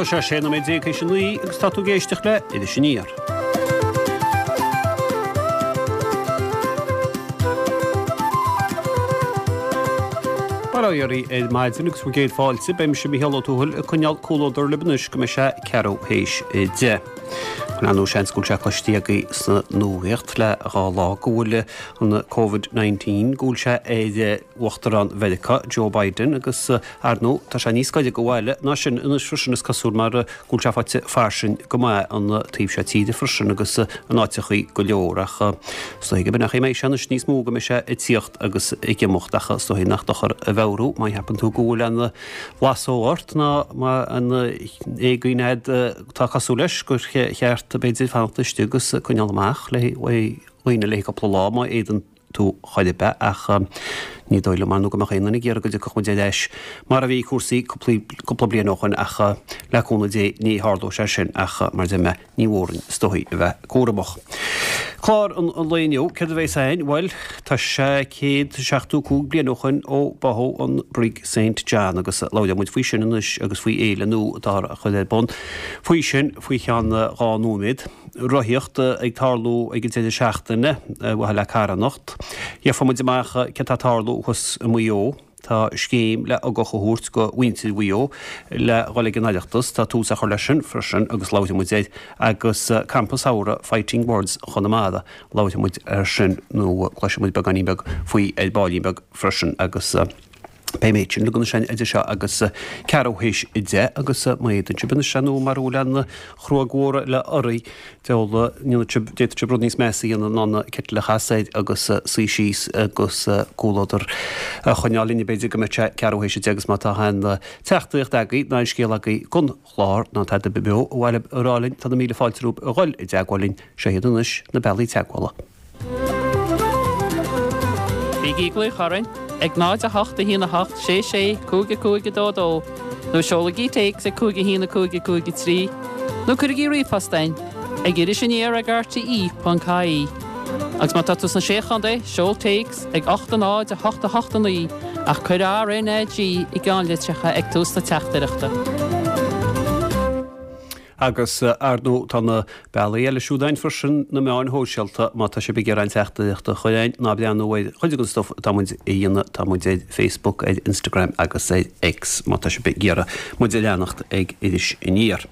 Tá sé 16 nóiméad théis a 9 agus tá tú ag éisteacht le Iris Aniar. Bail ó Dhia oraibh ar maidin agus bhur gcéad fáilte. Beidh mise Mícheál Ó Tuathail ag coinneáil comhluadar libh anois go mbeidh sé ceathrú théis 10. Ar ndóigh seans go bhfuil sé cloiste agaibh sa nuacht le dhá lá go bhfuil an Covid-19 go bhfuil sé ar Uachtarán Mheiriceá, Joe Biden, agus ar ndóigh tá sé níos gaire do bhaile ná sin anois freisin is cosúil mar go bhfuil sé faighte fairsing go maith an taobh seo tíre freisin agus in áiteachaí go leor ach is dóigh gurb in é an chaoi a mbeidh sé anois níos mó go mbeidh sé ag tíocht agus ag imeacht ach is dóigh nach dochar a mheabhrú má cheapann tú go bhfuil an bhlasóg ort ná má aon éagaoin agat atá cosúil leis gur cheart b'fhéidir fanacht istigh agus coinneáil amach le dhaoine le cúpla lá má fhéadann tú chor ar bith ach ní dóigh liom ar ndóigh go mbeadh aon duine ag iarraidh go dtiocfadh muid ar ais mar a bhí cúrsaí cúpla bliain ó shoin ach le cúnamh Dé ní tharlóidh sé sin ach mar a deir mé ní mór orainn is dóigh a bheith cúramach. Clár an lae inniu, céard a bheas againn? Bhuel, tá sé 175 bliain ó shoin ó báthadh an Brig Saint John agus labhróidh muid faoi sin anois agus faoi fhéile nua atáthar a chur ar bun faoi sin faoi cheann 2 nóiméad. Rothaíocht ag tarlú ag an deireadh seachtaine ar mhaithe le carthanacht. Gheobhaidh muid amach céard tá ag tarlú thuas i Maigh Eo. Tá scéim le ugach a thabhairt go mhuintir Mhaigh Eo le dhul ag an Oireachtas. Tá tús á chur leis sin freisin agus labharfaidh muid air. Agus Campa Samhraidh Fighting Words Chonamara, labharfaidh muid air sin nó cloisfidh muid beagáinín beag faoi ar baillín beag freisin agus beidh an méid sin uilig ansin idir seo agus ceathrú théis 10 agus má fhéadann sibh anois nó mara bhfuil aon chruóg mhór eile oraibh Deabhal, ndéanfaidh sibh, d'fhéadfadh sibh rud níos measa a dhéanamh ná an kettle a chasadh air agus suí síos agus comhluadar a choinneáil linn b'fhéidir go mbeidh sé ceathrú théis 10 agus má tá aon teachtaireacht agaibh ná aon scéal agaibh don chlár ná tada ar bith beo a bhfuil a rá linn tá na míle fáilte romhaibh a dhul i dteagmháil linn, seo iad anois na bealaí teagmhála. Bígí ag glaoch orainn ag 0 8 1 8 6 6 5 5 2 2 nó seolaigí téacs ag 5 1 5 5 3 nó cuirigí ríomhphost chugainn ag irisaniar ag rte.ie. Agus má tá tú sna Sé Chontae, seol téacs ag 8 0 8 8 9 ach cuir RNAG i gceannlitreacha ag tús na teachtaireachta. Agus, ar ndóigh, tá na bealaí eile siúd ann freisin, na meáin shóisialta, má tá sibh ag iarraidh aon teachtaireacht a chur chugainn, ná breathnú ar chuid den stuif atá muid a dhéanamh, tá muid ar Facebook, ar Instagram agus ar X, má tá sibh ag iarraidh muid a leanacht ag Iris Aniar.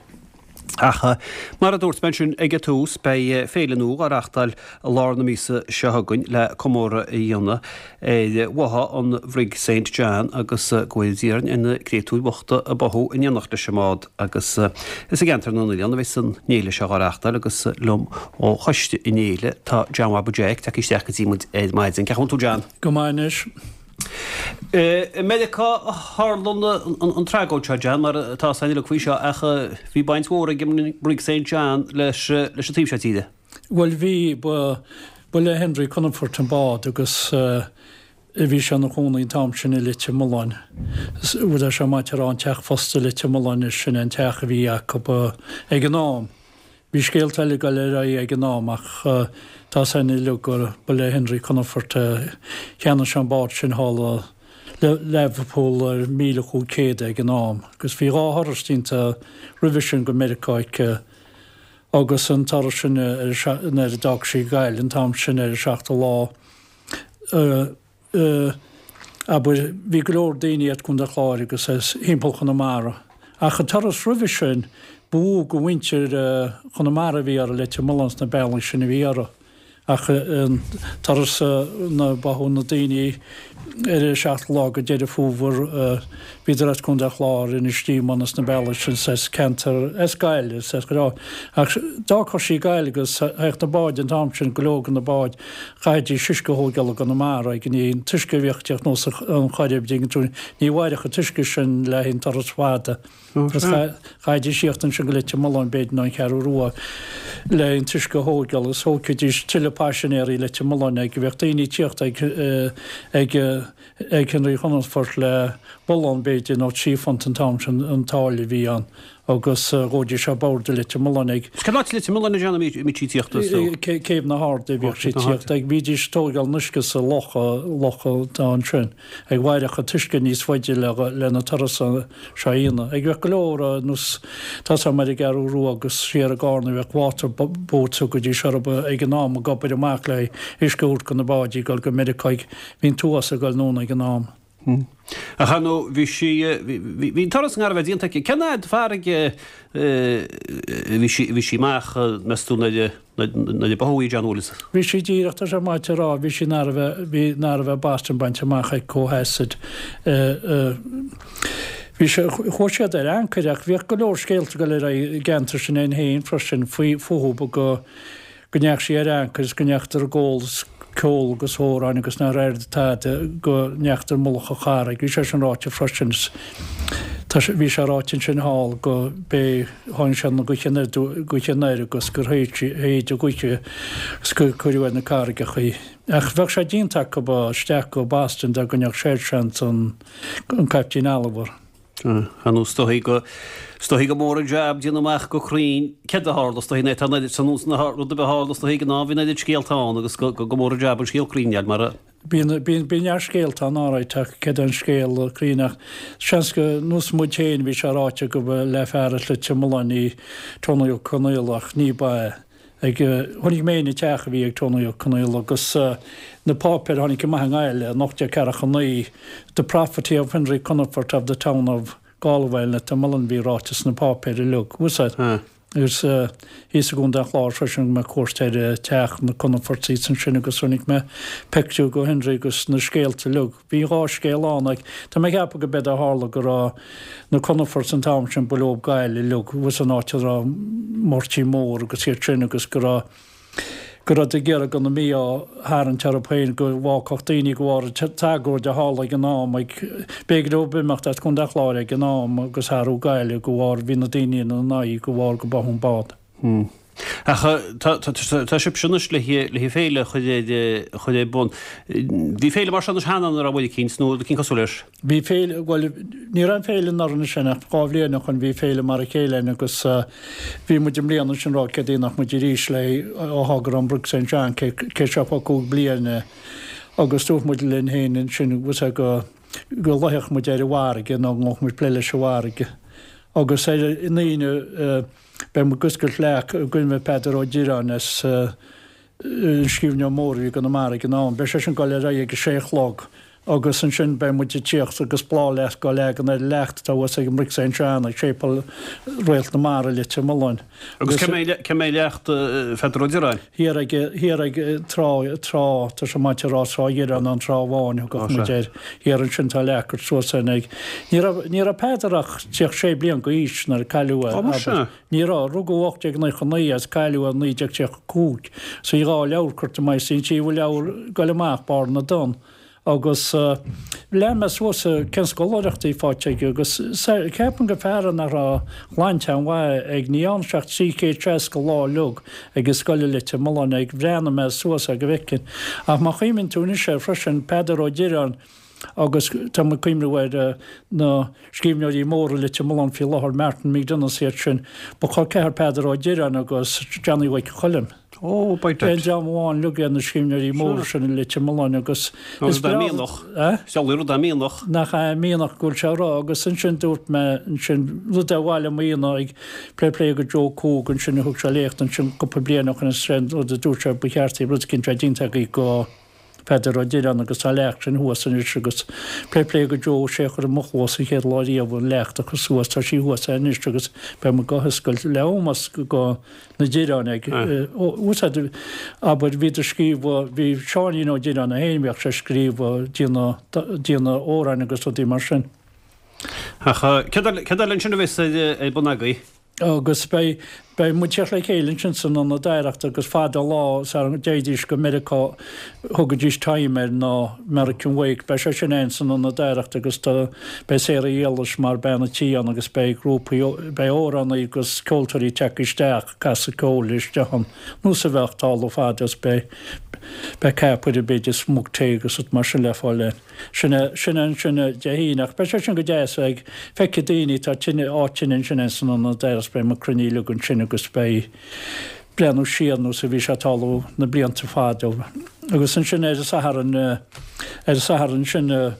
Ach, mar a dúirt mé ansin ag an tús, beidh féile nua á reáchtáil i lár na míosa seo chugainn le comóradh a dhéanamh ar bháthadh an Bhrig Saint John agus go bhfóire Dia orainn ar na créatúir bhochta a báthadh in éineacht leis an mbád agus is i gceantar na nOileán a bheas an fhéile seo á reáchtáil agus liom ó choiste an fhéile tá John Bhaba Jeaic tagtha isteach go dtí muid ar maidin. Cén chaoi a bhfuil tú John? Go maith anois. I Meiriceá a tharla an tragóid seo John mar atá a fhios againn uilig faoi seo ach bhí baint mhór ag an mBrig Saint John leis an taobh seo tíre. Bhuel bhí, ba, ba le Henry Comerford an bád agus bhí sé ina chónaí an t-am sin i Leitir Mealláin. Bhuel tá sé maith a rá an teach fosta i Leitir Mealláin, sin é an teach a bhí acu ag an am. Bhí scéalta eile ag dul ar aghaidh ag an am ach tá a fhios againn uilig gur ba le Henry Comerford a cheannaigh sé an bád sin thall i Learpholl ar 1,500 ag an am agus bhí dhá thuras déanta roimhe sin go Meiriceá aici agus an turas sin nuair a d'fhág sí Gaillimh an t-am sin ar an seachtú lá abair, bhí go leor daoine as Contae an Chláir agus as thimpeall Chonamara. Ach an turas roimhe sin, ba mhó de mhuintir Chonamara a bhí orthu, Leitir Mealláin sna bealaí sin a bhí orthu. Ach an turas nuair a báthadh na daoine ar an seachtú lá de Deireadh Fómhair, bhíodar as Contae an Chláir, Inis Díomáin is na bealaí sin, as ceantar, as Gaillimh, is as go leor. Ach d'fhágfadh sí Gaillimh agus théadh na báid an t-am sin, go leor de na báid, chaithfidís uisce a thógáil i gConamara ag an an t-uisce a bhíodh ag teacht anuas an Choirib, dtuigeann tú, ní mhairfeadh an t-uisce sin le haghaidh an turas fada. Agus chaithfidís tíocht ansin go Leitir Mealláin b'fhéidir nó an Cheathrú Rua le an t-uisce a thógáil agus thógfaidís tuilleadh paisinéirí i Leitir Mealláin ag bheadh daoine ag tíocht ag ag ag Henry Comerford le bullán b'fhéidir nó £3 an t-am sin an táille a bhí ann. Agus ghabhaidís ar bord i Leitir Mealláin ag. Cén áit i Leitir Mealláin a déanaim a mbíodh sí ag tíocht is dóigh? Céibh na hArda a bhíodh sí ag tíocht ag. Bhídís ag tóigeáil an uisce sa loch, loch atá ansin. Ag mhairfeadh an t-uisce níos faide le le na turas seo a dhéanamh. Ag bheadh go leor ar nós tá 's a'm ar an gCeathrú Rua agus siar i gCarna bheadh water boats thugaidís orthu ag an am ag obair amach le uisce a thabhairt go na báidí ag dul go Meiriceá ag bhí an t-uafás ag dul anonn ag an am. Ach ar ndóigh, bhí sí, bhí an turas i ngar a bheith déanta aici. Cén fhad farraige a bhí sí, bhí sí amach, meas tú, nuair a, nuair a báthadh í, John Willis? Bhí sí díreach, tá sé maith a rá, bhí sí in ar a bheith, bhí in ar a bheith Boston bainte amach aici ó theas. Bhí sé, chuaigh siad ar ancaire ach bhíodh go leor scéalta ag dul ar aghaidh i gceantar sin againn féin freisin faoi, fúthu go, go ndeachaigh sí ar ancaire is go ndeachadar ag ól is ceol agus amhráin agus nár airigh tada go ndeachadar mullach an charraig. Bhí sé sin ráite freisin is tá sé, bhí sé ráite ansin thall go b'é tháinig sé na gaoithe anoir, gaoithe anoir agus gur shéid sí, shéid an ghaoth agus gur cuireadh ar na carraigeacha í. Ach bheadh sé déanta acu isteach go Boston dá gcoinneodh seirseant an, an Caiptín Oliver. Ar ndóigh, is dóichí go, is dóichí gur mór an jab déanamh amach go cruinn céard a tharla, is dóichí nuair atá an oiread san rud ar bith a tharla is dóichí ag an am, bhí an oiread scéalta ann agus go, go mór an jab an scéal cruinn a fháil mar a. Bíonn, bíonn, bíonn neart scéalta ann alright ach céard é an scéal cruinn ach seans go nós muid féin bhí sé ráite go ba le fear as Leitir Mealláin í Tony Ó Conaola ach ní ba ea. Ag, chonaic mé an teach a bhí ag Tony Ó Conaola agus na páipéir a tháinig amach i nGaillimh in 1849, The property of Henry Comerford of the town of Galway and Leitir Mealláin bhí ráite sna páipéir uilig. Bhfuil 's a'd? Agus thíos i gContae an Chláir freisin thug mé cuairt ar teach na Comerfords thíos ansin agus chonaic mé pictiúr go Henry agus na scéalta uilig. Bhí an dá scéal ann ach tá mé ag ceapadh go b'éard a tharla go raibh na Comerfords an t-am sin ba leo Gaillimh uilig bhfuil an áit a raibh Máirtín Mór agus iad sin agus go raibh go raibh ag iarraidh go na mí-ádh a tharraingt orthu féin go bhfágfadh daoine go bharr an t-agóid a tharla ag an am ag b'éigean dóibh imeacht as Contae an Chláir ag an am agus athrú Gaillimh go bharr bhí na daoine ina n-aghaidh go bharr go báthadh an bád. Ach tá sibhse anois le le féile a chur ar bun. Bhí féile mar seo anois cheana an raibh rud eicínt nó rud eicínt cosúil leis? Bhí féile, bhuel, ní raibh aon féile anuraidh ansin ach 2 bhliain ó shoin bhí féile mar a chéile ann agus bhí muid i mbliana ansin rá céard é nach muid arís le ó thá go raibh an Brick St John cé 75 bliain agus dúirt muid linn féin ansin bhfuil go go luífeadh muid ar an bhfarraige nó go ngabhfadh muid plé leis an bhfarraige agus ar an Aoine Beidh muid ag oscailt leac i gcuimhne Peadar Ó Direáin as an scríbhneoir mór a bhí i gConamara ag an am. Beidh sé sin ag dul ar aghaidh ag a sé a chlog agus ansin beidh muid ag tíocht agus bláthfhleasc á leagan ar an leacht atá thuas ag an mBrick St John ag Séipéal Réalt na Mara i Leitir Mealláin. Agus cá mbeidh leacht Pheadar Ó Direáin? Thiar ag, thiar ag trá, trá, tá sé maith a rá Trá Dhireáin nó an Trá Bháin a thugadh muid air. Thiar ansin tá leac curtha suas ann ag. Ní raibh, ní raibh Peadar ach 36 bliain d'aois nuair a cailleadh é, Ó, muise. abair. Ní raibh. Rugadh 1899 é is cailleadh é 1935. So bhí 2 leabhar curtha amach is bhí an tríú leabhar ag goil amach, Barr na dTonn. Agus lean mé suas cén scoláireacht a bhí faighte aige agus ceapaim gur fear é nach raibh shláinte an-mhaith ag, ní dhearna sé ach 360 lá uilig ag an scoil i Leitir Mealláin ag, bhreathnaigh mé suas air go bhfeicfinn. Ach má chuimhníonn tú anois air freisin, Peadar Ó Direáin agus tá muid ag cuimhneamh ar na scríbhneoirí móra i Leitir Mealláin faoi láthair, Martin McDonagh is iad sin, ba chol ceathar Peadar Ó Direáin agus Johnny Mhic Choilm. Ó, by dad. Aon dream amháin uilig iad na scríbhneoirí móra sin i Leitir Mealláin agus is breá. Mianach. Eh? Is amhlaidh rud é mianach. Nach é mianach go bhfuil sé a rá agus ansin dúirt mé ansin rud ar mhaith liom a dhéanamh ag plé plé go Joe Coogan ansin a thug sé léacht ansin cúpla bliain ó shin is sé an rud a dúirt sé ba cheart rud eicínt a bheith déanta agaibh go Peadar Ó Direáin agus tá leacht sin thuas anois agus plé plé go Joe sé a chuir i mo chluas an chéad lá riamh an leacht a chur suas tá sí thuas anois agus beidh muid go hoscailt le ómós go na Direáin ag úsáid abair bhíodar scríobh bhí Seáinín Ó Direáin é féin bhíodh sé ag scríobh déanamh déanamh amhráin agus rudaí mar sin. Ach céard eile ansin a bheas ar bun agaibh? Agus beidh, beidh muid teacht le chéile ansin san Ionad Oidhreachta agus fada an lá sara dtéidís go Meiriceá thugaidís time air ná American Wake. Beidh sé sin ann san Ionad Oidhreachta agus tá, beidh Sarah Éilis mar bean an tí ann agus beidh grúpaí, beidh amhránaí agus ceoltóirí ag teacht isteach, ag casadh ceoil isteach ann, nós a bheadh ag tarlú fada is beidh, Beidh ceapaire b'fhéidir is mug tae agus rud mar sin le fáil ann. Sin é, sin é ansin Dé hAoine ach beidh sé sin go deas ag feicfidh daoine, tá tine, áit tine ansin ins an ionad agus beidh muid cruinnithe uilig ansin agus beidh breathnú siar nós a bhí sé ag tarlú na blianta fada. Agus ansin ar an Satharn, ar an Satharn sin,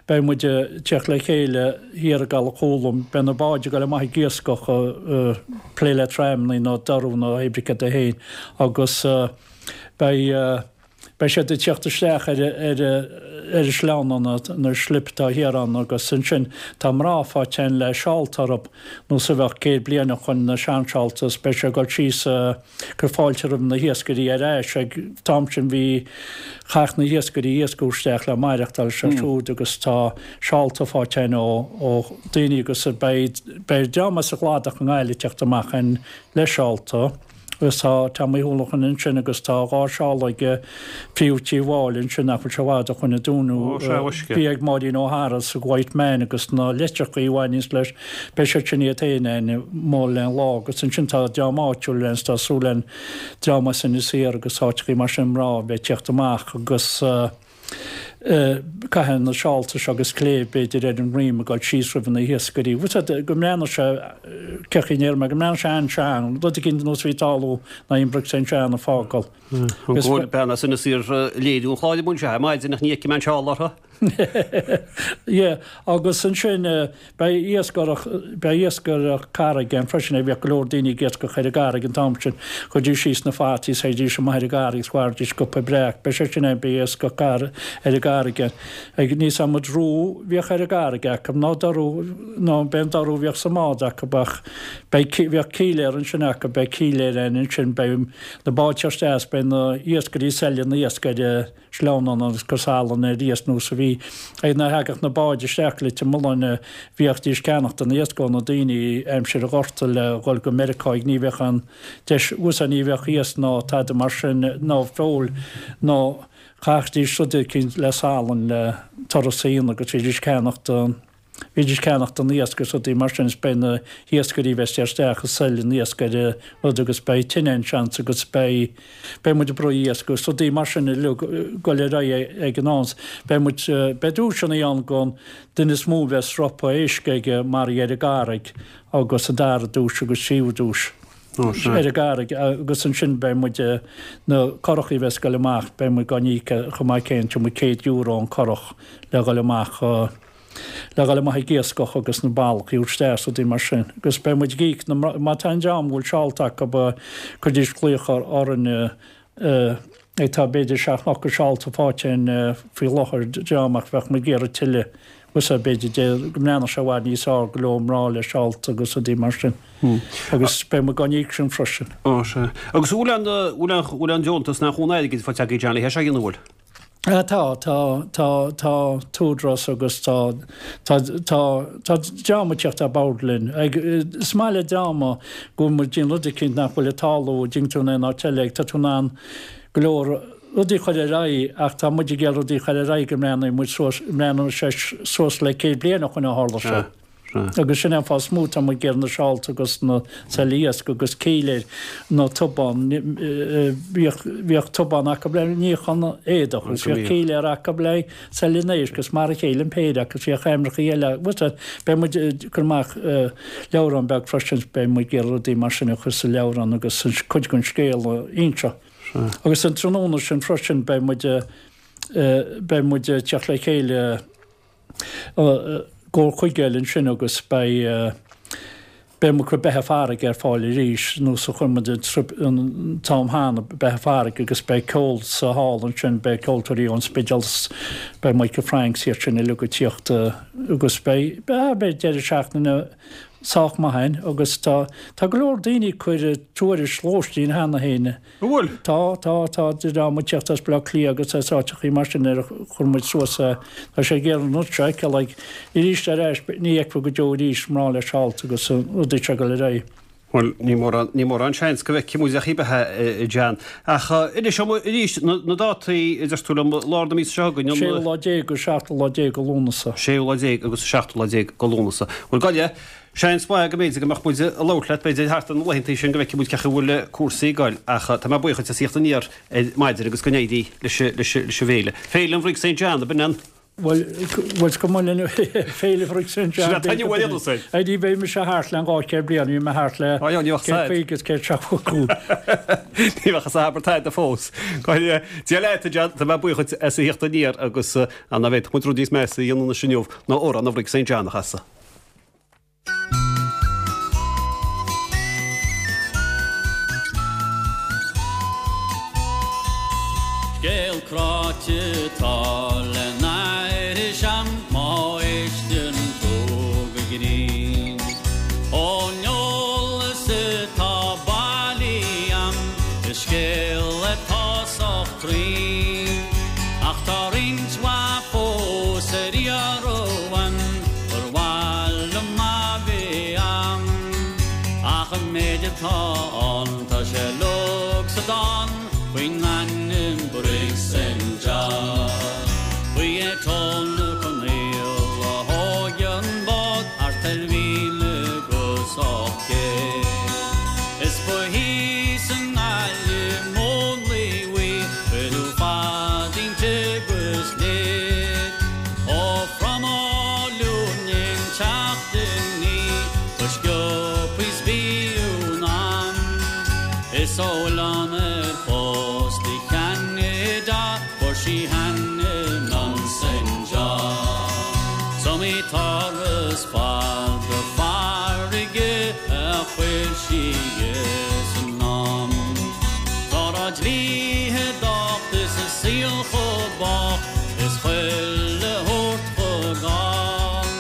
Beidh muid ag teacht le chéile thiar i gCaladh Chúluim. Beidh na báid ag dul amach ag iascach, plé le traimneanna nó dorú nó hébrí céard é féin agus beidh beidh siad ag teacht isteach ar ar ar an sleamhnán na slip atá thiar ann agus ansin tá mná fá teinn le seálta orthu nós a bheadh 100 bliain ó shoin na seanseálta is beidh sé ag dul síos cur fáilte roimh na hiascairí ar ais. Ag an t-am sin bhí, chaith na hiascairí iasc isteach le maireachtáil seo siúd agus tá seálta faighte againn ó ó daoine agus beidh beidh dream as an gCladach i nGaillimh ag teacht amach ann le seálta agus tá Tommy Houlihan ansin agus tá 2 seál ag Príomh Tí Mháille ansin nach bhfuil sé i bhfad ó shoin a dúnadh. Bhí ag Máirín O'Hara sa White Man agus na leitreachaí a bhaineanns leis, beidh siad sin iad féin ann mall le an lá agus ansin tá dream áitiúil ann is tá súil againn dream as Inis Oírr agus áiteachaí mar sin mná a bheith ag teacht amach agus caithfidh na seálta seo agus cléibh b'fhéidir ar an ndroim ag dul síos roimh na hiascairí. Bhfuil fhios agat go mbreathnódh sé, cé chaoi ndéarfaidh mé, go mbreathnódh sé an-sean, rud eicínt nós a bhí ag tarlú ná Imbreac Saint Jean a fágáil. An bhfuil bean as Inis Oírr léiriú an chláir i mbun seo ar maidin ach ní fheicim aon seál orthu. Yeah, agus ansin beidh iascaireacht, beidh iascaireacht carraige ann freisin, bhíodh go leor daoine ag iascach ar an gcarraig an t-am sin, chuiridís síos na fataí is théidís amach ar an gcarraig is mharaídís scupa breac, beidh sé sin ann, beidh iascach ar an gcarraig ann. Ag níos adhmad rú bhíodh ar an gcarraig acu, ná dorú, ná b'é an dorú a bhíodh sa mbád acu ach beidh, bhíodh cíléar ansin acu, beidh cíléar ann ansin, beidh na báid seo isteach is beidh na iascairí ag seilidh an iasc ar an sleamhnán agus cur salann ar iasc nós a bhí ag nuair a thagadh na báid isteach Leitir Mealláin bhíodís ag ceannacht an iasc ó na daoine aimsir an Ghorta le dhul go Meiriceá ag ní bheadh an deis uasa ní bheadh iasc ná tada mar sin ná feoil ná chaithdís rud eicínt le salann le turas a dhéanamh agus bhídís ag ceannacht an Bhídís ag ceannacht an iasc agus rudaí mar sin is beidh na hiascairí bheas ag isteach ag seilidh an iasc ar an rud agus beidh tine ann seans agus beidh beidh muid ag bruith iasc agus rudaí mar sin uilig ag dul ar aghaidh ag an am. Beidh muid beidh duaiseanna ann don duine is mó a bheas ropa éisc aige maraithe ar an gcarraig agus an dara duais agus tríú duais ar an gcarraig agus ansin beidh muid na curachaí a bheas ag dul amach beidh muid á n-íoc chomh maith céanna tabharfaidh muid €100 an curach le dhul amach le dhul amach ag iascach agus na ballachaí a thabhairt isteach is rudaí mar sin. Agus beidh muid ag íoc na mná, má tá aon dream a bhfuil seálta acu, cuiridís glaoch orainn ag tá b'fhéidir seacht nó ocht seálta faighte againn faoi láthair dream ach bheadh muid ag iarraidh tuilleadh agus b'fhéidir de go mbreathnódh sé i bhfad níos fearr go leor mná le seálta agus rudaí mar sin. Agus beidh muid á n-íoc sin freisin. Ó sea. Agus an bhfuil aon, bhfuil aon, bhfuil aon deontas ná aon airgead faighte agaibh Johnny, thé seo a dhéanamh, an bhfuil? Tá, tá, tá, tá t-údarás agus tá, tá, tá, tá dream ag teacht ar bord linn. Ag, is maith le dream go bhfuil muid ag déanamh rud eicínt nach bhfuil ag tarlú, an dtuigeann tú in aon áit eile, ag, tá tú in ann go leor rudaí a chur ar aghaidh ach tá muid ag iarraidh rudaí a chur ar aghaidh go mbreathnóidh muid suas, mbreathnóidh sé suas le 100 bliain ó shoin a tharla sé. Agus sin é an fáth is mó tá muid ag iarraidh na seálta agus na seilidh iasc agus cíléir nó tubán, bhíodh, bhíodh tubán acu le níochán éadach agus bhíodh cíléar acu le seilidh an éisc agus mar a chéile an péire acu agus bhíodh aimreachaí eile. Beidh muid ag cur amach leabhrán beag freisin, beidh muid ag iarraidh rudaí mar sin a chur sa leabhrán agus cuid den scéal a inse. Agus an tráthnóna sin freisin beidh muid, beidh muid ag teacht le chéile, gcomhar chuige eile ansin agus beidh beidh muid ag cur beatha farraige ar fáil arís nós a chuir muid an t-am cheana beatha farraige agus beidh ceol sa hall ansin beidh ceoltóirí ón Spidéal beidh Michael Franks iad sin uilig ag tíocht agus beidh beidh deireadh seachtaine sách maith ann agus tá tá go leor daoine ag cur tuairisc lóistín cheana féin An bhfuil? Tá, tá, tá dream ag tíocht as Baile Átha Cliath agus as áiteachaí mar sin ar a chuir muid suas é. Tá sé ag iarraidh an rud seo a fheiceáil ag, arís ar ais, ní fheicfear go deo arís mná le seálta agus an rudaí seo ag dul ar aghaidh. Bhuel, ní mórán, ní mórán seans go bhfeicfidh muid ach í beatha, a John. Ach inis dom arís na dátaí, a deir tú liom, lár na míosa seo chugainn, an. Séú lá déag agus seachtú lá déag de Lúnasa. Séú lá déag agus seachtú lá déag de Lúnasa. Bhuel, gabh i leith, seans maith go mb'fhéidir go mbeadh muid ag labhairt leat, b'fhéidir, thart ar na laethantaí sin go bhfeicfidh muid cén chaoi a bhfuil cúrsaí ag goil. Ach tá mé buíoch duit as a thíocht aniar ar maidin agus go n-éirí leis an bhféile. Féile an Bhrig St John, ab in an? Bhuel, bhuel, go mba linn Féile Bhrig St John. Sin é uair eile sin. Ní bheidh mise thart le an 200 bliain, bhí mé thart le 150 is 175. Ní bheadh a abair tada fós. Dia leat, a John, tá mé buíoch duit as a thíocht aniar agus an bhféadfadh muid rud níos measa a dhéanamh anois inniu ná amhrán an Bhrig St John a chasadh. Scéal cráite atá le n-aithris a'm má éisteann tú go grinn. Ón eolas atá bailithe a'm is scéal atá sách cruinn. Ach tá roinnt mhaith fós ar iarraidh uaim gur mhaith liom a bheith a'm. Ach an méid atá ann tá sé uilig sa dán faoin ainm Brig St John. Ba é Tony Conaill a thóg an bád thart ar 1800. Is ba thíos i nGaillimh múnlaíodh í, cuireadh fad inti agus léid. Ó phromhadh linn teacht inní go sciobtha is b'fhiú an am. Is ó oileán ar chósta Cheanada fuair sí hainm an Saint John. 'S iomaí turas fada farraige a chuir sí as an am. Dá raibh dlíthe docht is a saol chomh bocht is chuile shórt chomh gann.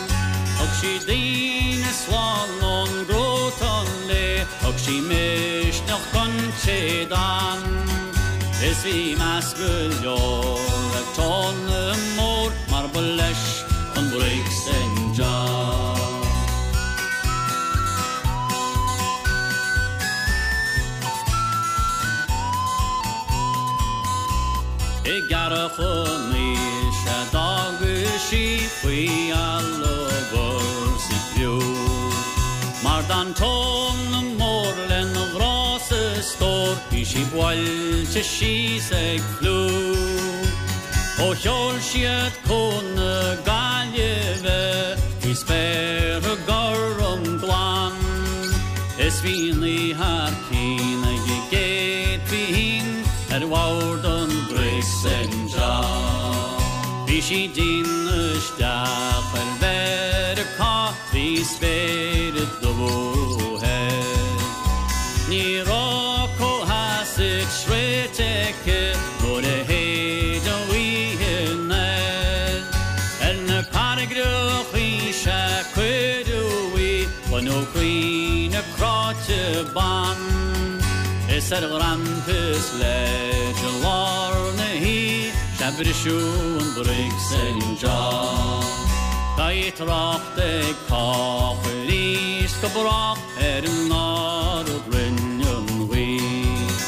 Thug sí daoine slán ón gcruatan léi, thug sí misneach don té d'fhan. Is bhí meas go leor ar Tony Mór mar ba leis an Brig St John. I gCarrach an Aois a d'fhága sí faoi allagar 's í criú. Mar d'fhan Tony Mór lena ghrá 's a stór bhí sí buailte síos ag fliú. Ó sheol siad Cuan na Gaillimhe bhí spéartha gorm glan is bhí an oíche thar cionn ag an gcéad phingin ar bhord an Brig St John. Bhí sí ag déanamh isteach ar Mheiriceá trí spéire dubh thoir. Ní raibh comhtheas sroichte aici nuair a shéid an ghaoth anoir. Ar na carraigreachaí sea cuireadh í, baineadh caoineadh cráite ban. Is ar ghrampus leid i lár na hoíche sea briseadh an Brig St John. Beidh trácht ag cách arís go brách ar an Ard Rinn an Ghaoth.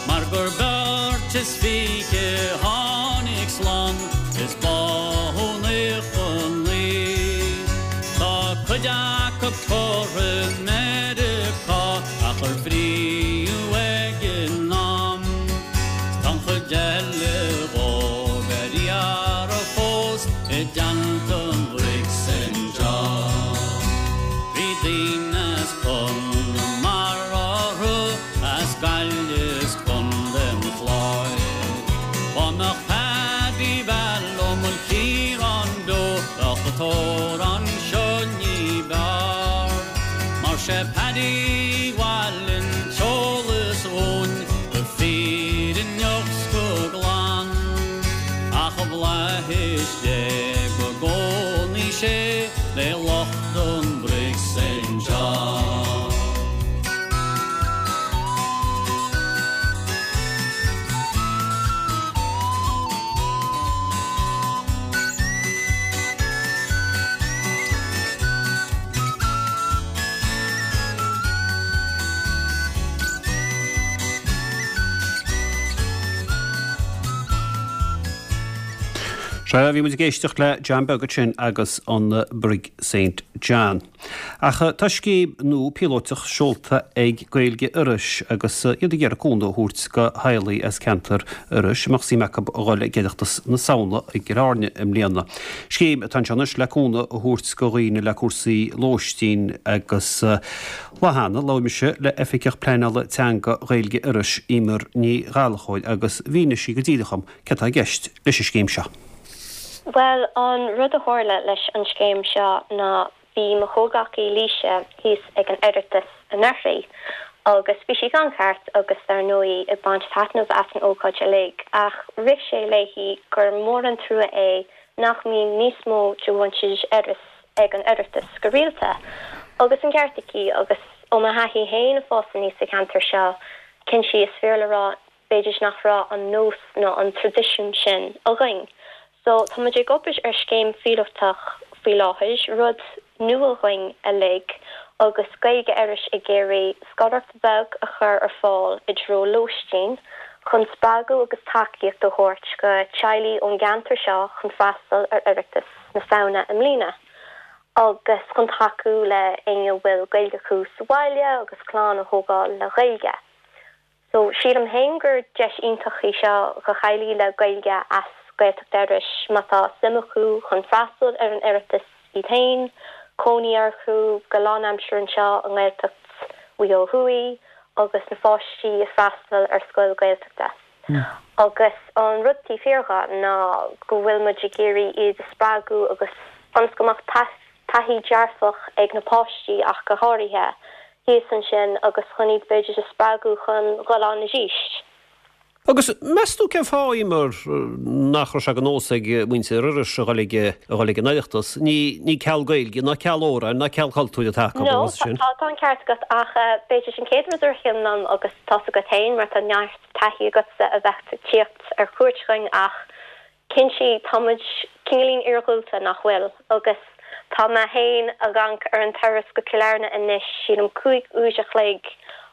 Mar gur beirt is fiche tháinig slán is báthadh 99. Tá cuid acu curtha i Meiriceá ach ar frítheadh ag an am. 'S tá an chuid eile dhóibh ar iarraidh fós i dteannta an Bhrig St John. Bhí daoine as Conamara orthu, as Gaillimh is Contae an Chláir. Dá mbeadh Paddy Val Ó Maoilchiaráin beo bheadh an t-amhrán seo ní b'fhearr. Mar sé Paddy bhailigh an t-eolas dhúinn go fírinneach 's go glan. Ach i bhflaithis Dé go gcónaí sé le lucht an Brig St John. Sea, bhí muid ag éisteacht le John Beag ansin agus an Brig Saint John. Ach tá scéim nua píolóiteach seolta ag Gaeilge Iorrais agus iad ag iarraidh cúnamh a thabhairt go theaghlaigh as ceantar Iorrais a mbeadh suim acu a dhul ag Oireachtas na Samhna i gCill Airne i mbliana. Scéim atá anseo anois le cúnamh a thabhairt go dhaoine le cúrsaí lóistín agus Lá cheana, labhair mise le Oifigeach Pleanála Teanga Ghaeilge Iorrais, Eimear Ní Ghallchóir, agus mhínigh sí go díreach dhom céard atá i gceist leis an scéim seo. Bhuel, an rud a tharla leis an scéim seo ná bhí mo chomhghleacaí Laoise thíos ag an Oireachtas anuraidh agus bhí sí gan chairt agus dar ndóigh ag baint taitneamh as an ócáid uilig ach rith sé léi gur mór an trua é nach mbíonn níos mó de mhuintir Iorrais ag an Oireachtas go rialta. Agus an ceart aici agus ó mo thaithí féin ag fás aníos sa cheantar seo, cinnte is fíor le rá b'fhéidir nach raibh an nós nó an traidisiún sin againn. So tá muid ag obair ar scéim phíolótach faoi láthair, rud nua dhuinn uilig, agus Gaeilge Iorrais ag iarraidh scoláireacht bheag a chur ar fáil i dtreo lóistín chun spreagadh agus tacaíocht a thabhairt go teaghlaigh ón gceantar seo chun freastal ar Oireachtas na Samhna i mbliana agus chun tacú le éinne a bhfuil Gaeilge acu sa bhaile agus clann a thógáil le Gaeilge. So, sílim féin gur deis iontach í seo do theaghlaigh le Gaeilge as Gaeltacht Iorrais má tá suim acu chun freastal ar an Oireachtas iad féin, cónaí orthu go lánaimseartha anseo i nGaeltacht Mhaigh Eo Thuaidh agus na pháistí ag freastal ar scoil Gaeltachta. Agus an rud taobh thiar dhe ná go bhfuil muid ag iarraidh iad a spreagadh agus ionas go mbeadh taithí dearfach ag na páistí ach go háirithe, thíos ansin agus chun iad b'fhéidir a spreagadh chun dhul ann arís. Agus meas tú cén fáth, Eimear, nach raibh sé de nós ag muintir Iorrais a dhul ag a dhul ag an Oireachtas? Ní ní ceal Gaeilge ná ceal amhráin ná ceal cultúir atá acu, No, an sin? tá tá an ceart agat ach b'fhéidir sin chéad rud a ritheann liom agus tá's agat féin mar tá neart taithí agatsa a bheith ag tíocht ar cuairt chugainn ach Cinnte, tá muid cineáilín iargúlta, nach bhfuil? Agus tá mé féin ag amharc ar an turas go Cill Airne anois, sílim 5 uair a chloig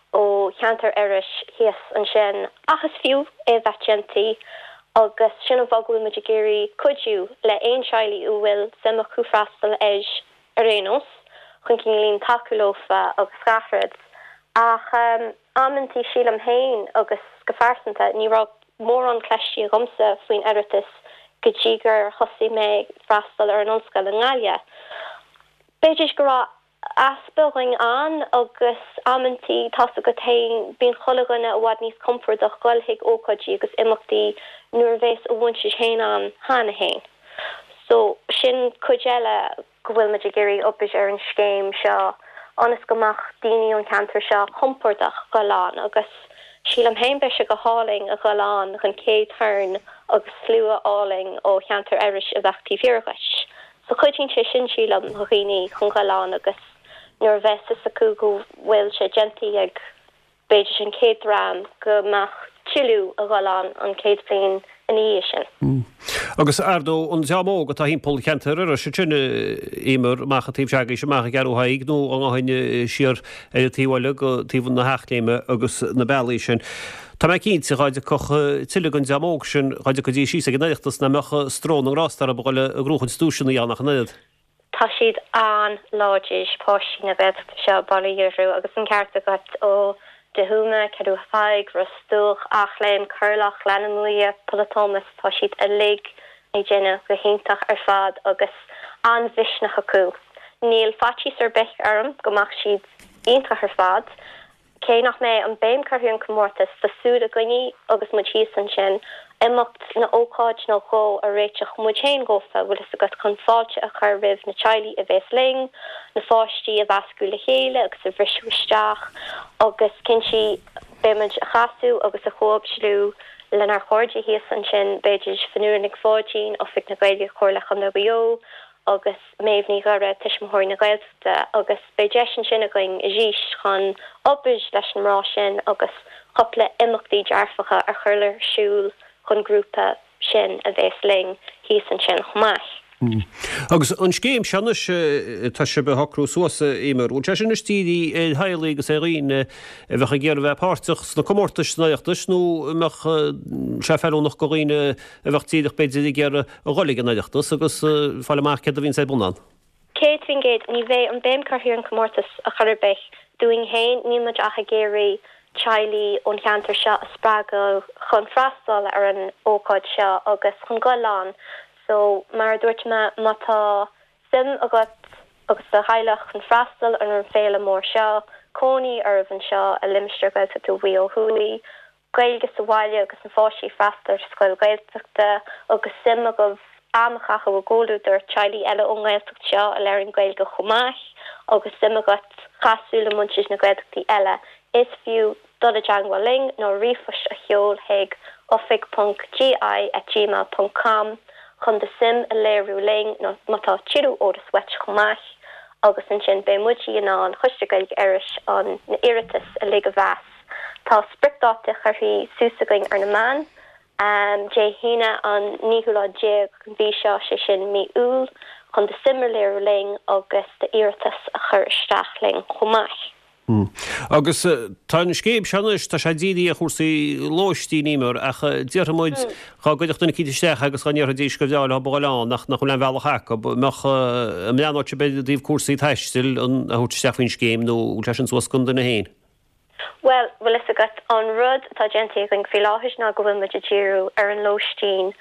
ó cheantar Iorrais thíos ansin, ach is fiú é a bheith déanta agus sin an fáth go bhfuil muid ag iarraidh cuidiú le aon teaghlaigh a bhfuil suim acu freastal air ar aon nós, chun cineáilín tacú leofa agus gach rud. Ach amantaí sílim féin agus go phearsanta, ní raibh mórán cloiste agamsa faoin Oireachtas go dtí gur thosaigh mé ag freastal ar an ollscoil i nGaillimh. B'fhéidir go raibh easpa againn ann agus amantaí, tá's agat féin, bíonn chuile dhuine i bhfad níos compordach dhul chuig ócáidí agus imeachtaí nuair a bhéas a mhuintir féin ann cheana féin. So, sin cuid eile. go bhfuil muid ag iarraidh obair ar an scéim seo ionas go mbeadh daoine ón cheantar seo compordach dhul ann agus sílim féin beidh sé go hálainn a dhul ann don chéad turn agus slua álainn ó cheantar Iorrais a bheadh taobh thiar dhuit. So cuidíonn sé sin sílim do dhaoine chun dhul ann agus nuair a bheas fhios acu go bhfuil sé déanta ag b'fhéidir an chéad dream go mbeadh tuilleadh a dhul ann an chéad bhliain ina dhiaidh sin. Agus ar ndóigh, an dream óg atá thimpeall cheantar Iorrais ansin, Eimear, amach an taobh s'agaibhse, amach an gCeathrú Thaidhg nó dá ngabhfainn siar ar an taobh eile go taobh na hEachléime agus na bealaí sin. Tá mé cinnte dhá dtiocfadh tuilleadh den dream óg sin, dhá dtiocfaidís síos ag an Oireachtas, nach mbeadh stró na ngrást orthu a dhul ag gnóchaint duaiseanna ann ach an oiread. Tá siad an-láidir, páistí na Gaeltachta seo, bail ó Dhia orthu, agus an ceart agat, ó De Thuama, Ceathrú Thaidhg, Ros Dumhach, Eachléim, Corlough, Gleann na Muaidhe, Poll a' Tómais, tá siad uilig ag déanamh go hiontach ar fad agus an-mhisneach acu. Níl faitíos ar bith orm go mbeadh siad iontach ar fad. Cé nach mbeidh an béim curtha ar an comórtas, tá súil againne agus muid thíos ansin, imeacht nó ócáid nó dhó a réiteach muid féin dhófa, bhfuil fhios agat, chun fáilte a chur roimh na teaghlaigh a bhéas linn, na pháistí a mheascadh le chéile agus a bhriseadh isteach agus cinnte beidh muid a chasadh agus a chomhoibriú lenár chairde thíos ansin, b'fhéidir Fionnuala Nic Pháidín, Oifig na Gaeilge, Comhairle Chontae Mhaigh Eo agus. Méabh Ní Ghuaire, Tuismitheoirí na Gaeltachta, agus beidh deis ansin againn arís chun obair leis na mná sin agus cupla imeachtaí dearfacha a chur ar siúl don grúpa sin a bhéas linn thíos ansin chomh maith. Agus an scéim seo anois atá sibh a shocrú suas, Eimear, bhfuil sé sin anois dírithe ar theaghlaigh agus ar dhaoine a bheadh ag iarraidh bheith páirteach sna comórtais san Oireachtas nó an mbeadh sé feiliúnach do dhaoine a bheadh díreach b'fhéidir ag iarraidh a dhul ag an Oireachtas agus fáil amach céard a bhíonns ar bun ann? 100%, ní bheidh an béim curtha ar an comórtas a chor ar bith. Dúinn féin, níl muid ach ag iarraidh teaghlaigh ón cheantar seo a spreagadh chun freastal ar an ócáid seo agus chun goil ann. So, mar a dúirt mé, má tá suim agat agus do theaghlach chun freastal ar an féile mór seo, cónaí oraibh anseo i limistéar Gaeltachta Mhaigh Eo Thuaidh, Gaeilge sa bhaile agus na pháistí ag freastal ar scoil Ghaeltachta agus suim agaibh am a chaitheamh i gcomhluadar teaghlaigh eile ón nGaeltacht seo a labhraíonn Gaeilge chomh maith agus suim agat casadh le muintir na Gaeltachtaí eile, is fiú dul i dteangmháil linn nó ríomhphost a sheol chuig oifig ponc gi at gmail ponc com chun do suim a léiriú linn nó má tá tuilleadh eolas uait chomh maith agus ansin beidh muid in ann, Coiste Gaeilge Iorrais, an na iarratais uilig a mheas. Tá spriocdáta curtha suas againn ar na meáin, Dé hAoine an naoú lá déag den mhí seo, sé sin mí Iúil, chun do suim a léiriú linn agus d'iarratas a chur isteach linn chomh maith. Agus tá an scéim seo anois, tá sé dírithe ar chúrsaí lóistín, Eimear, ach déarfaidh muid, dhá gcuirfeadh duine eicínt isteach agus dhá ndéarfaidís gur bhreá leo a dhul ann ach nach bhfuil aon bhealach acu, mbeadh, an mbreathnódh sibh i dtaobh cúrsaí taistil a thabhairt isteach faoin scéim nó bhfuil sé sin suas don duine féin? Bhuel, bhfuil fhios agat, an rud atá déanta againn faoi láthair ná go bhfuil muid ag díriú ar an lóistín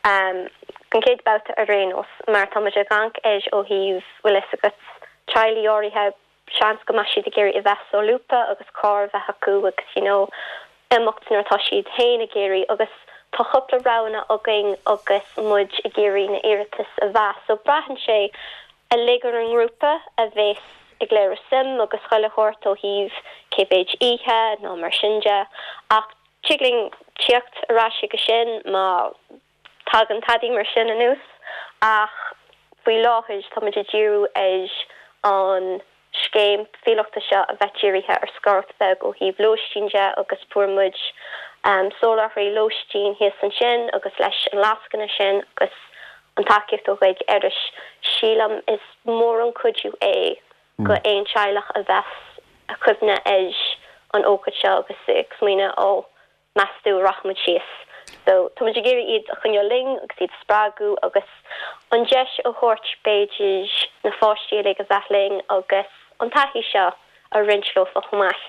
don chéad babhta ar aon nós, mar tá muid ag amharc air ó thaobh, bhfuil fhios agat, teaghlaigh áirithe, seans go mbeadh siad ag iarraidh a bheith solúbtha agus carr a bheith acu agus you know imeacht nuair atá siad féin ag iarraidh agus tá cúpla roghanna againn agus muid ag iarraidh na iarratais a mheas so braitheann sé uilig ar an ngrúpa a bheas ag léiriú suim agus chuile shórt ó thaobh cé mhéid oíche nó mar sin de ach tig linn tíocht ar ais chuige sin má Tagann tadaí mar sin anuas ach faoi láthair tá muid ag díriú ar an scéim phíolótach seo a bheith dírithe ar scoláireacht bheag ó thaobh lóistín de agus fuair muid soláthraí lóistín thíos ansin agus leis an lascaine sin agus an tacaíocht ó Ghaeilge Iorrais, sílim is mór an cuidiú é go aon teaghlach a bheas ag cuimhneamh ar an ócáid seo agus ag smaoineamh ó meas tú an rachaidh muid síos. So, tá muid ag iarraidh iad a choinneáil linn agus iad a spreagadh agus an deis a thabhairt b'fhéidir na pháistí uilig a bheith linn agus an taithí seo a roinnt leofa chomh maith.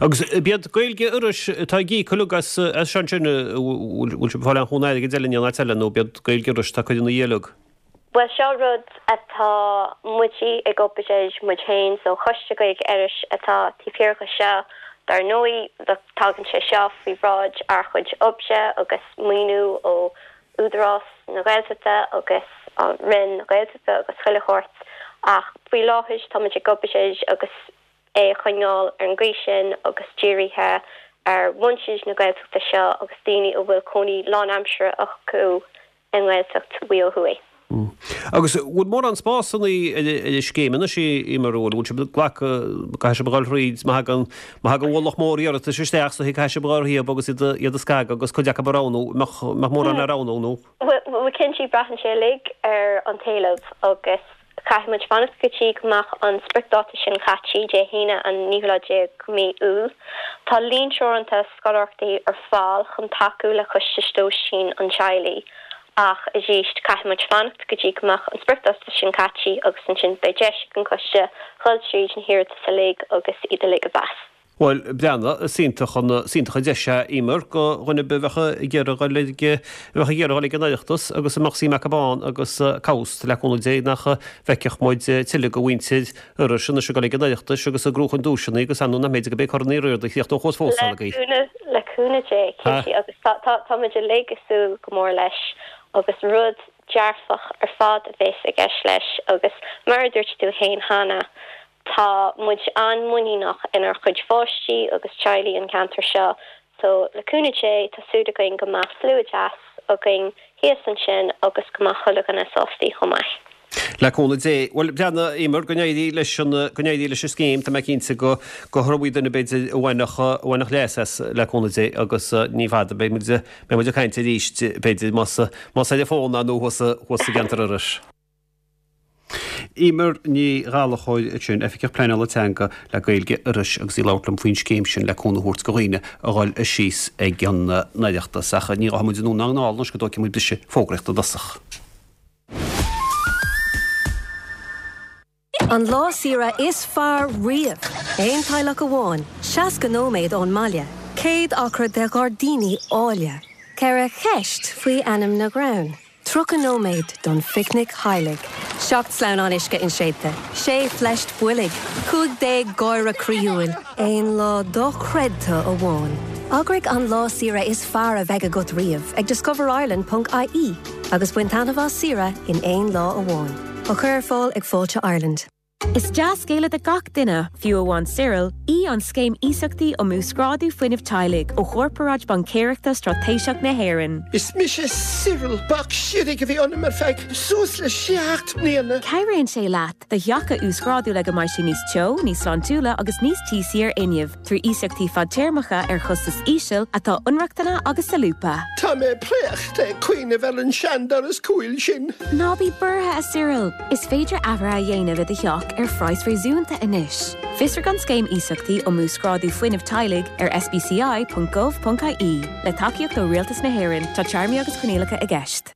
Agus b'iad Gaeilge Iorrais atá ag íoc uilig as seo ansin, bhfuil sibh ag fáil aon chúnamh airgid eile in aon áit eile nó b'iad Gaeilge Iorrais atá ag cur ina dhiaidh uilig? Bhuel, seo rud atá muid ag obair air muid féin, so Coiste Gaeilge Iorrais atá taobh thiar de seo. Dar ndóigh, tagann sé seo faoi bhráid ár chuid oibre agus maoiniú ó Údarás na Gaeltachta agus an Roinn na Gaeltachta agus chuile shórt ach faoi láthair tá muid ag obair air agus é a choinneáil ar an gcaoi sin agus dírithe ar mhuintir na Gaeltachta seo agus daoine a bhfuil cónaí lánaimseartha acu i nGaeltacht Mhaigh Eo Thuaidh. Agus bhfuil mórán spásanna ar an scéim anois, Eimear, bhfuil sibh ag glacadh, caithfidh sibh a dhul thríd, má thagann, má thagann ualach mór iarratais isteach so caithfidh sibh a dhul thríob agus iad a, iad a scagadh agus cuid acu a roghnú, mbeadh, mbeadh mórán le roghnú nó? Bhuel, cinnte, braitheann sé uilig ar an t-éileamh agus Caithfidh muid fanacht go dtí go mbeadh an spriocdháta sin caite, Dé hAoine an naoú lá déag mí Iúil. Tá líon teoranta scoláireachtaí ar fáil chun tacú le costais lóistín an teaghlaigh ach arís caithfidh muid fanacht go dtí go mbeadh an spriocdháta sin caite agus ansin beidh deis ag an gcoiste dhul tríd na hiarratais uilig agus iad uilig a mheas. Bhuel, breathnaigh, is iontach an, is iontach an deis é, Eimear, do dhuine ar bith a bheadh ag iarraidh dul ag, a bheadh ag iarraidh dul ag an Oireachtas agus a mbeadh suim acu ann agus cá bhfios, le cúnamh Dé, nach bhfeicfeadh muid tuilleadh de mhuintir Iorrais anois ag dul ag an Oireachtas agus ag gnóchan duaiseanna agus ar ndóigh nach mb'fhéidir go mbeidh Corn Uí Riada ag tíocht ó thuas fós Le agaibh. cúnamh, le cúnamh Dé, cinnte, agus tá, tá, tá muid uilig ag súil go mór leis agus rud dearfach ar fad a bheas i gceist leis agus mar a dúirt tú fhéin cheana, Tá muid an-muiníneach inár chuid pháistí agus teaghlaigh an ceantar seo so le cúnamh Dé tá súil againn go mbeadh slua deas againn thíos ansin agus go mbeadh chuile dhuine sástaí chomh maith. Le cúnamh Dé. Bhuel, breathnaigh, Eimear, go n-éirí leis an, go n-éirí leis an scéim. Tá mé cinnte go, go iomaí duine b'fhéidir a bhainfeadh, a bhainfeadh leas as, le cúnamh Dé, agus ní fada, beidh muid, beidh muid ag caint arís, b'fhéidir, más, más ar an bhfón nó thuas, thuas i gceantar Iorrais. Eimear Ní Ghallchóir ansin, Oifigeach Pleanála Teanga le Gaeilge Iorrais agus í ag labhairt liom faoin scéim sin le cúnamh a thabhairt do dhaoine a dhul síos ag an Oireachtas. Ach ní ghabhfaidh muid anonn ná anall anois go dtógfaidh muid briseadh fógraíochta i dtosach. An lá saoire is fearr riamh! Aon teaghlach amháin, 60 nóiméad ón mbaile, 100 acra de ghairdíní áille, 4 cheist faoi ainm na gcrann, 30 nóiméad don phicnic theaghlaigh, 7 sleamhnán uisce inséidte, 6 phleist boilg, 15 gáire croíúil, aon lá dochreidte amháin. Eagraigh an lá saoire is fearr a bheidh agat riamh ag discoverireland.ie agus bain taitneamh as saoire in aon lá amháin. Á chur ar fáil ag Fáilte Ireland. Is dea-scéala do gach duine, fiú amháin Cyril, í an Scéim Iasachtaí um Uasghrádú Fuinnimh Teaghlaigh ó Chorparáid Baincéireachta Straitéiseach na hÉireann. Is mise Cyril, bac siorraidh a bhí ionam ar feadh suas le 7 mbliana. Cabhraíonn sé leat do theach a uasghrádú le go mbeidh sé níos teo, níos sláintiúla agus níos tíosaí ar fhuinneamh. Trí iasachtaí fadtéarmacha ar chostas íseal atá inrochtana agus solúbtha. Tá mé préachta ag cuimhneamh ar an seandoras cúil sin. Ná bí buartha, a Cyril! Is féidir athruithe a dhéanamh i do theach ar phraghas réasúnta anois. Fiosraigh an Scéim Iasachtaí um Uasghrádú Fuinnimh Teaghlaigh ar sbci.gov.ie. Le tacaíocht ó Rialtas na hÉireann, tá téarmaí agus coinníollacha i gceist.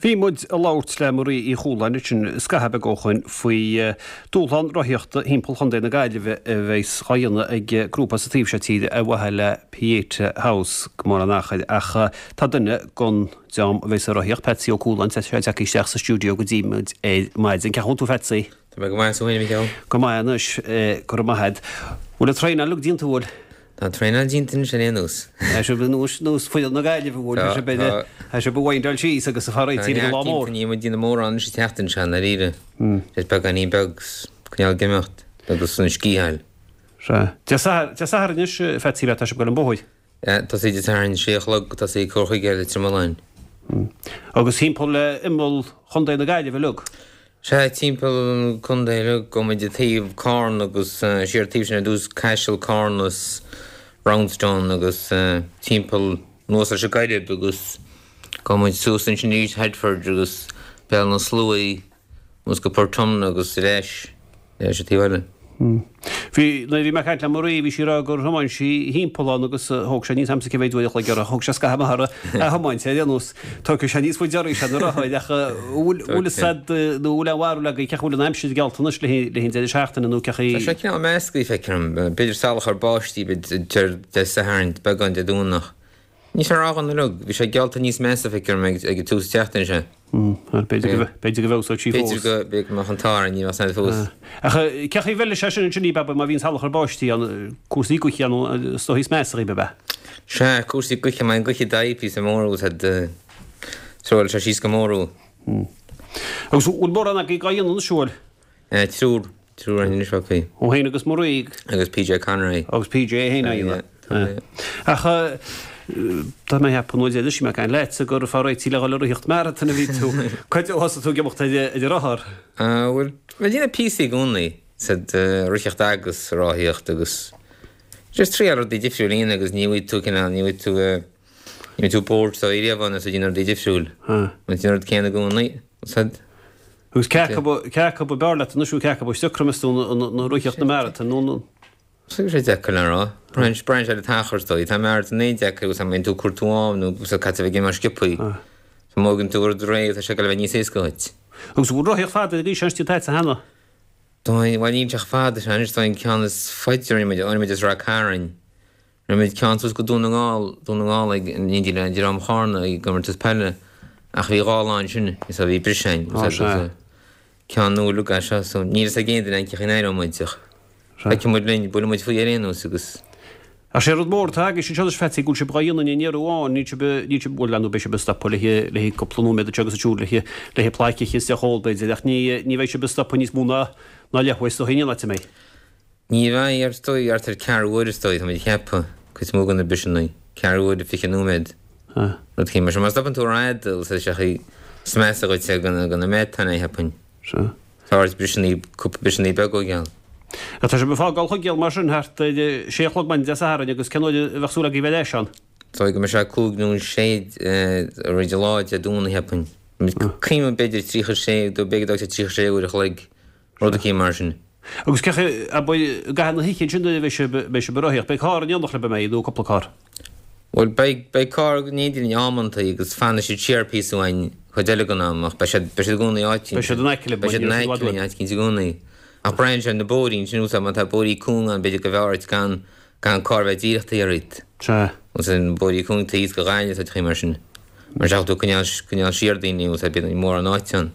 Bhí muid ag labhairt le Marie Uí Chualáin ansin scaitheamh beag ó shoin faoi dúshlán rothaíochta thimpeall Chontae na Gaillimhe a bheas á dhéanamh ag grúpa sa taobh seo tíre ar mhaithe le Pieta House go mór an achair ach tá duine gon dream a bheas ag rothaíocht, Patsy Ó Cualáin, tá sé tagtha isteach sa stiúideo go dtí muid ar maidin. Cén chaoi a bhfuil tú Phatsy? Tá mé go maith, is tú féin a Mhícheál? Go maith anois, go raibh maith agat. Bhfuil an traenáil uilig déanta bhfuil? Tá an traenáil déanta anois ar aon nós. Tá sibh nós nós foireann na Gaillimhe bhfuil tá sibh ar tá sibh ag windáil síos agus ag faire réidh don lá mór. Níl muid ag déanamh mórán anois an tseachtain seo i ndáiríre. Just beagáinín beag coinneáil ag imeacht agus an scíth a fháil. Sea. Dé Sathairn anois a Phatsy tá sibh ag dul an bóthar. Tosaí Dé Sathairn sé a chlog tosaí ag cur chuige Leitir Mealláin. Agus thimpeall le imeall Chontae na Gaillimhe uilig. Sea, timpeall an contae uilig, gabhfaidh muid ag taobh Carna agus siar taobh sin ar dtús, Caiseal, Carna is Roundstone agus timpeall anuas leis an gCoirib agus gabhfaidh muid suas ansin arís Headford agus Béal na Sluaighe anuas go Portumna agus ar ais. Ar ais an taobh eile. Bhí, nuair a bhí mé ag caint le Marie, bhí sí ag rá gur thiomáin sí thimpeall ann agus thóg sé, níl 's a'msa cé mhéid uair a chloig uirthi, thóg sé scaitheamh maith uirthi a thiomáint ar aon nós. Tógfaidh sé níos faide oraibhse na rothair ach bhfuil, bhfuil fhios a'd nó bhfuil aon bharúil agaibh cén chaoi bhfuil an aimsir geallta anois le haghaidh an deireadh seachtaine nó cén chaoi. Tá sé cineál measctha, feictear dom. B'fhéidir salachar báistí, b'fhéidir Dé Sathairn, beagán Dé Domhnach. Níl sé ródhona uilig. Bhí sé geallta níos measa, feictear dom, ag an tús tseachtaine seo. B'fhéidir go b'fhéidir go bhfeabhsóidh sí fós. B'fhéidir go b'fhéidir go mbeadh an t-ádh orainn, ní bheadh san fós. Ach cén chaoi a bhfeilfidh sé sin ansin daoibh má bhíonn salachar báistí ann, cúrsaí gaoithe ann is dóichí is measa dhaoibh, ab ea? Sea, cúrsaí gaoithe, má bhíonn gaoth ag daidh píosa mór agus trollfaidh sé síos go mór thú. Agus bhfuil mórán agaibh dhá dhéanamh anois, bhfuil? Triúr. Triúr anois acu. Tú féin agus Marie. Agus PJ Conroy. Agus PJ é féin á dhéanamh. Ach tá mé ag ceapadh nuair a d'éist mé ag caint leatsa gur ag faire réití le dhul ag ritheacht marathon a bhí tú. Cá fhad ó thosaigh tú ag imeacht ar an rothar? Bhuel, bhí mé ag déanamh píosaí i gcónaí, sa ritheacht agus sa rothaíocht agus just triail rudaí difriúil a dhéanamh agus ní bhfaighidh tú cineál, ní bhfaighidh tú, ní bhfaighidh tú bored so riamh ann is tú ag déanamh rudaí difriúil. Má déanann rud céanna i gcónaí, said. Agus cé acu cé acu ab fhearr leat anois nó cé acu is deacra meas tú an ritheacht nó marathon nó an. Tá sé deacair le rá. Braitheann sé ar an t-achar is dóigh. Tá marathon an-deacair agus má bhíonn tú ag cur tú am nó agus caithfidh tú a bheith ag imeacht sciobthaí. So má thógann tú rud réidh tá sé ag dul a bheith níos éasca dhuit. Agus an bhfuil rothaíocht fada arís déanta agatsa cheana? Bhuel níl sé chomh fada sin anois, tá an ceann is faide a rinne muid, rinne muid as Ráth Cairn. Rinne muid ceann suas go Dún na nGall, Dún na nGall ag in éindí le dream Chárna ag gcomórtas peile ach bhí dhá lá ansin so bhí briseadh ann so so ceann nua uilig é seo so níl fhios ag aon duine cén chaoi a n-éireoidh muid ach feicfidh muid linn, buailfidh muid faoi ar aon nós agus. Ach sé rud mór atá agaibhse anseo anois Phatsy go bhfuil sibh dhá dhéanamh in aon iarraidh amháin, níl sibh, níl sibh, bhuel ar ndóigh beidh sibh ag stopadh le haghaidh, le haghaidh cúpla nóiméad anseo agus ansiúd le haghaidh, le haghaidh plaic a ithe is deoch a ól b'fhéidir ach ní, ní bheidh sibh ag stopadh níos mó ná, ná leathuair is dóichí in aon áit an mbeidh? Ní bheidh, ar dóigh, thart ar ceathrú uaire is dóigh, tá muid ag ceapadh, cuid is mó de na briseanna, ceathrú uaire, 20 nóiméad, rud éicint mar sin. Má stopann tú rófhada, tá sé is measa dhuit é go na meátáin é, cheapfainn. Tá ort briseanna, cúpla briseanna beaga a gheall. Tá sibh ag fágáil Chuigéal mar sin thart ar sé a chlog maidin Dé Sathairn agus cén uair a bheadh súil agaibh bheith ar ais ann? Is dóigh go mbeidh sé cúig nó sé roimh an lá Dé Domhnaigh, cheapfainn. Cuimhním b'fhéidir 36, b'fhéidir go dtógfaidh sé 36 uair a chloig, rud eicínt mar sin. Agus cé chaoi, abair, i gcaitheamh na hoíche ansin nuair a bheidh sibh, beidh sibh ag rothaíocht, beidh carr in éineacht libh, an mbeidh, nó cúpla carr? Bhuel, beidh, beidh carr in éindí linn amantaí agus fanfaidh siad siar píosa uainn cuid eile den am ach beidh siad, beidh siad i gcónaí áit Beidh siad in aice libh, beidh siad in aice linn áit eicínt i gcónaí. Ach braitheann sé ar na bóithrí ansin, úsáid, má tá bóithrí cúng ann b'fhéidir go mb'fhearr duit gan, gan carr a bheith díreach taobh thiar díot. Sea. Agus an bóithrí cúng taobh thíos go Gaillimh tá chaoi mar sin. Mar seach tú coinneáil, coinneáil siar daoine úsáid bíonn mórán áite ann.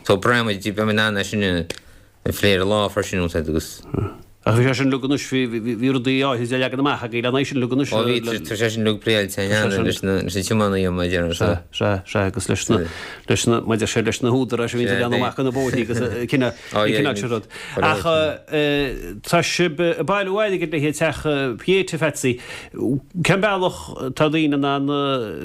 So braitheann muid, beidh muid in ann é sin a, a phlé ar an lá freisin úsáid agus. Ach bhí sé sin uilig anois, bhí, bhí, bhí rudaí áithrid á leagan amach agaibh lena aghaidh sin uilig anois. Ó bhí, tá sé sin uilig pléáilte cheana leis na, leis na tiománaithe mar a déarfá. Sea, sea, sea, agus leis na, leis na, mar a deir sé, leis na húdaráis a bhíonn ag leanadh amach ar na bóithrí agus an cineál, an cineál sin rud. Ach tá sibh ag bailiú airgid le haghaidh teach Pieta, Phatsy. Cén bealach tá daoine in ann,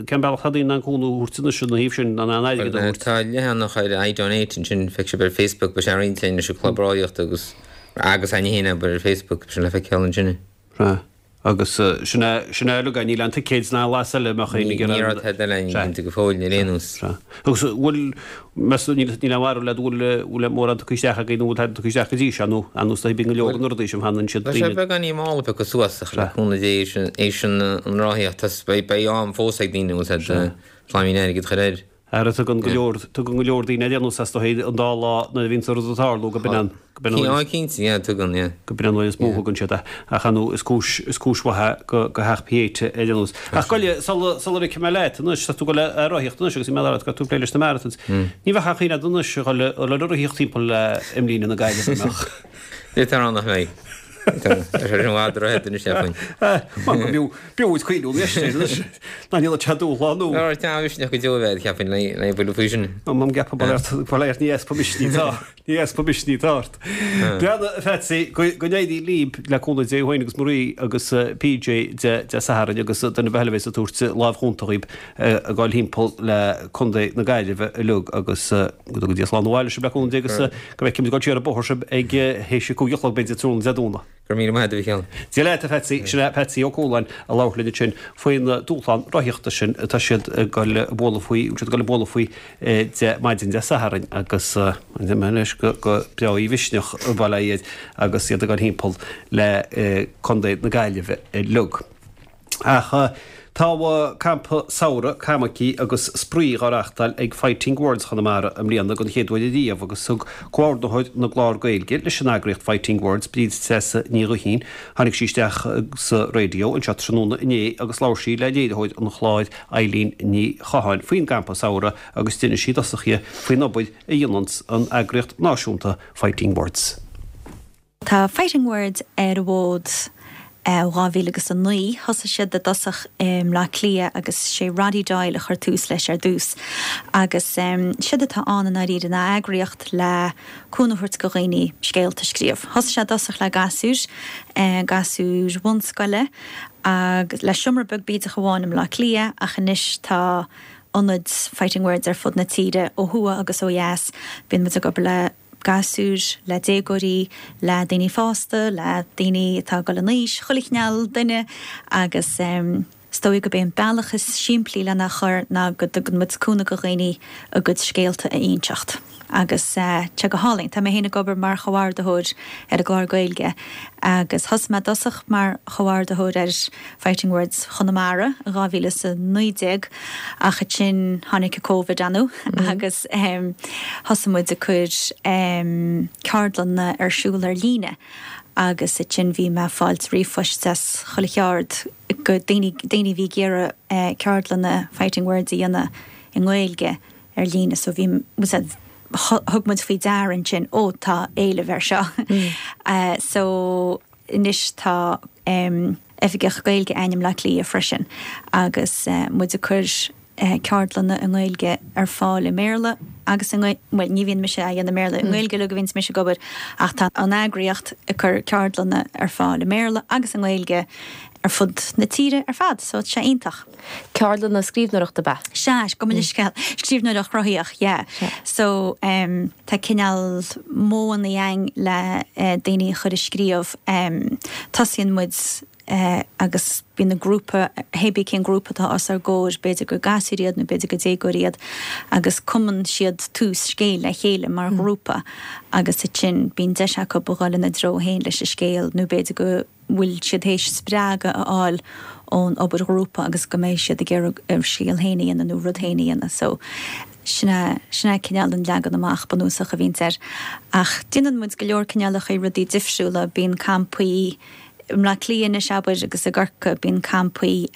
cén bealach tá daoine in ann cúnamh a thabhairt anois ina thaobh sin, in ann airgead a thabhairt? Tá leathanach ar iDonate ansin, feicfidh sibh ar Facebook, beidh sé á roinnt linn leis an Club Rothaíochta agus Agus againne féin abair ar Facebook, sin le feiceáil ansin. Sea. Agus sin é, sin é uilig é, níl aon ticéid ná aon bhlas eile a mbeadh éinne ag iarraidh. Ní raibh tada eile againn cinnte go fóill ar aon nós. Sea. Agus bhfuil, meas tú, níl, níl aon bharúil agat bhfuil, bhfuil mórán tugtha isteach agaibh nó bhfuil tada tugtha isteach go dtí seo nó ar nós bíonn go leor na rudaí sin fanann siad Tá sé beagáinín mall ag piocadh suas ach le cúnamh Dé éis an rothaíocht beidh, beidh am fós ag daoine bhfuil siad slaimín airgid a chur air. Ara tugann go leor, tugann go leor daoine ar aon nós as do thaobh an dá lá nuair a bhíonns an rud ag tarlú go b'in an, go b'in an uair is, Cinnte, yeah, tugann, yeah. go b'in an uair is mó a thugann siad é. Ach ar ndóigh is cúis, is cúis mhaith é go, go theach Pieta ar aon nós. Ach goile, sula, sula ligfidh mé leat anois, tá tú ag dul a rothaíocht anois agus bhí mé ag rá leat go raibh tú ag plé leis na marathons. Ní bheadh aon chuimhne agat anois a dhul, a dhul ag rothaíocht timpeall le imlíne na Gaillimhe, an mbeadh? Deirtear ann nach mbeidh. Tá sé sin i bhfad rófhada anois, cheapfainn. Mar go mb'fhiú, b'fhiú duit cuimhniú anois air anois. Ná níl sé dúshlán nua. Ná tá misneach go deo a bheith, cheapfainn, le buille faoi sin. An gceapann bail ort, bail ort, ní easpa misnigh atá, ní easpa misnigh atá ort. Breathnaigh, a Phatsy, go n-éirí libh le cúnamh Dé thú féin agus Marie agus PJ Dé Sathairn agus duine ar bith eile a bheas ag tabhairt lámh chúnta dhaoib ag dul thimpeall le Contae na Gaillimhe uilig agus go dtuga Dia slán abhaile sibh le cúnamh Dé agus go bhfeicfimid ag dul siar an bóthar sibh ag théis a 5 a chlog b'fhéidir tráthnóna Dé Domhnaigh. Go raibh míle maith agat a Mhícheáil. Dia leat a Phatsy, sin é Patsy Ó Cualáin a labhair linn ansin faoin dúshlán rothaíochta sin atá siad ag dul a bualadh faoi, siad ag dul a bualadh faoi de maidin Dé Sathairn agus deir mé anois go breá í mhisneach a bhail iad agus iad ag dul thimpeall le Contae na Gaillimhe uilig. Ach tá campa samhraidh camogie agus spraoi dhá reáchtáil ag Fighting Words Chonamara i mbliana den chéad uair ariamh agus thug comhordaitheoir na gclár Gaeilge leis an eagraíocht Fighting Words, Bríd Treasa Ní Ghuithín, tháinig sí isteach sa raidió anseo tráthnóna inné agus labhair sí le léiritheoir an chláir Eilín Ní Chatháin faoin gcampa samhraidh agus d'inis sí i dtosach di faoin obair a dhéananns an eagraíocht náisiúnta Fighting Words. Tá Fighting Words ar an bhfód ó 2000 agus 9. Thosaigh siad i dtosach i mBleá Cliath agus sé Roddy Doyle a chuir tús leis ar dtús. Agus séard atá ann i ndáiríre ná eagraíocht le cúnamh a thabhairt go dhaoine scéalta a scríobh. Thosaigh sé i dtosach le gasúir, gasúir bhunscoile agus le seomra beag bídeach amháin i mBleá Cliath ach anois tá ionaid Fighting Words ar fud na tíre ó thuaidh agus ó dheas. Bíonn muid ag obair le. gasúir, le déagóirí, le daoine fásta, le daoine atá ag dul in aois, chuile chineál duine agus is dóigh gurb é an bealach is simplí lena chur ná go dtugann muid cúnamh go dhaoine a gcuid scéalta a inseacht. Agus tá sé go hálainn. Tá mé féin ag obair mar chomhordaitheoir ar an gclár Gaeilge agus thosaigh mé i dtosach mar chomhordaitheoir ar Fighting Words Chonamara in 2019 ach ansin tháinig an Covid ann agus thosaigh muid ag cur ceardlanna ar siúl ar líne agus ansin bhí mé ag fáilt ríomhphoist as chuile cheard go daoine daoine a bhí ag iarraidh ceardlanna Fighting Words a dhéanamh i nGaeilge ar líne so bhí thug muid faoi deara ansin ó tá éileamh ar seo so Anois tá Oifigeach Gaeilge a'inn i mBleá Cliath freisin agus muid ag cur ceardlanna i nGaeilge ar fáil i mBéarla agus i nGaeilge, bhuel ní bhíonn mise á dhéanamh i mBéarla, i nGaeilge uilig a bhíonns mise ag obair ach tá an eagraíocht ag cur ceardlanna ar fáil i mBéarla agus i nGaeilge ar fud na tíre ar fad so tá sé iontach. Ceardlanna scríbhneoireachta ab ea? Sea, gabh mo leithscéal. Scríbhneoireacht chruthaitheach, yeah. So, em, tá cineál modhanna a'inn le daoine a chur ag scríobh. Em, tosaíonn muid. Agus bíonn an grúpa, hébí cén grúpa atá os ár gcomhair, b'fhéidir gur gasúir iad nó b'fhéidir gur déagóirí iad, agus cumann siad tús scéil le chéile mar ghrúpa agus ansin bíonn deis acu a dhul ina dtreo féin leis an scéal nó b'fhéidir go bhfuil siad théis spreagadh a fháil ón obair ghrúpa agus go mbeidh siad ag iarraidh a scéal féin a dhéanamh nó rud féin a dhéanamh. So sin é, sin é cineál an leagan amach bunúsach a bhíonns air. Ach déanann muid go leor cineálacha rudaí difriúla, bíonn campaí, I mBleá Cliath anois, abair, agus i gCorcaigh, bíonn campaí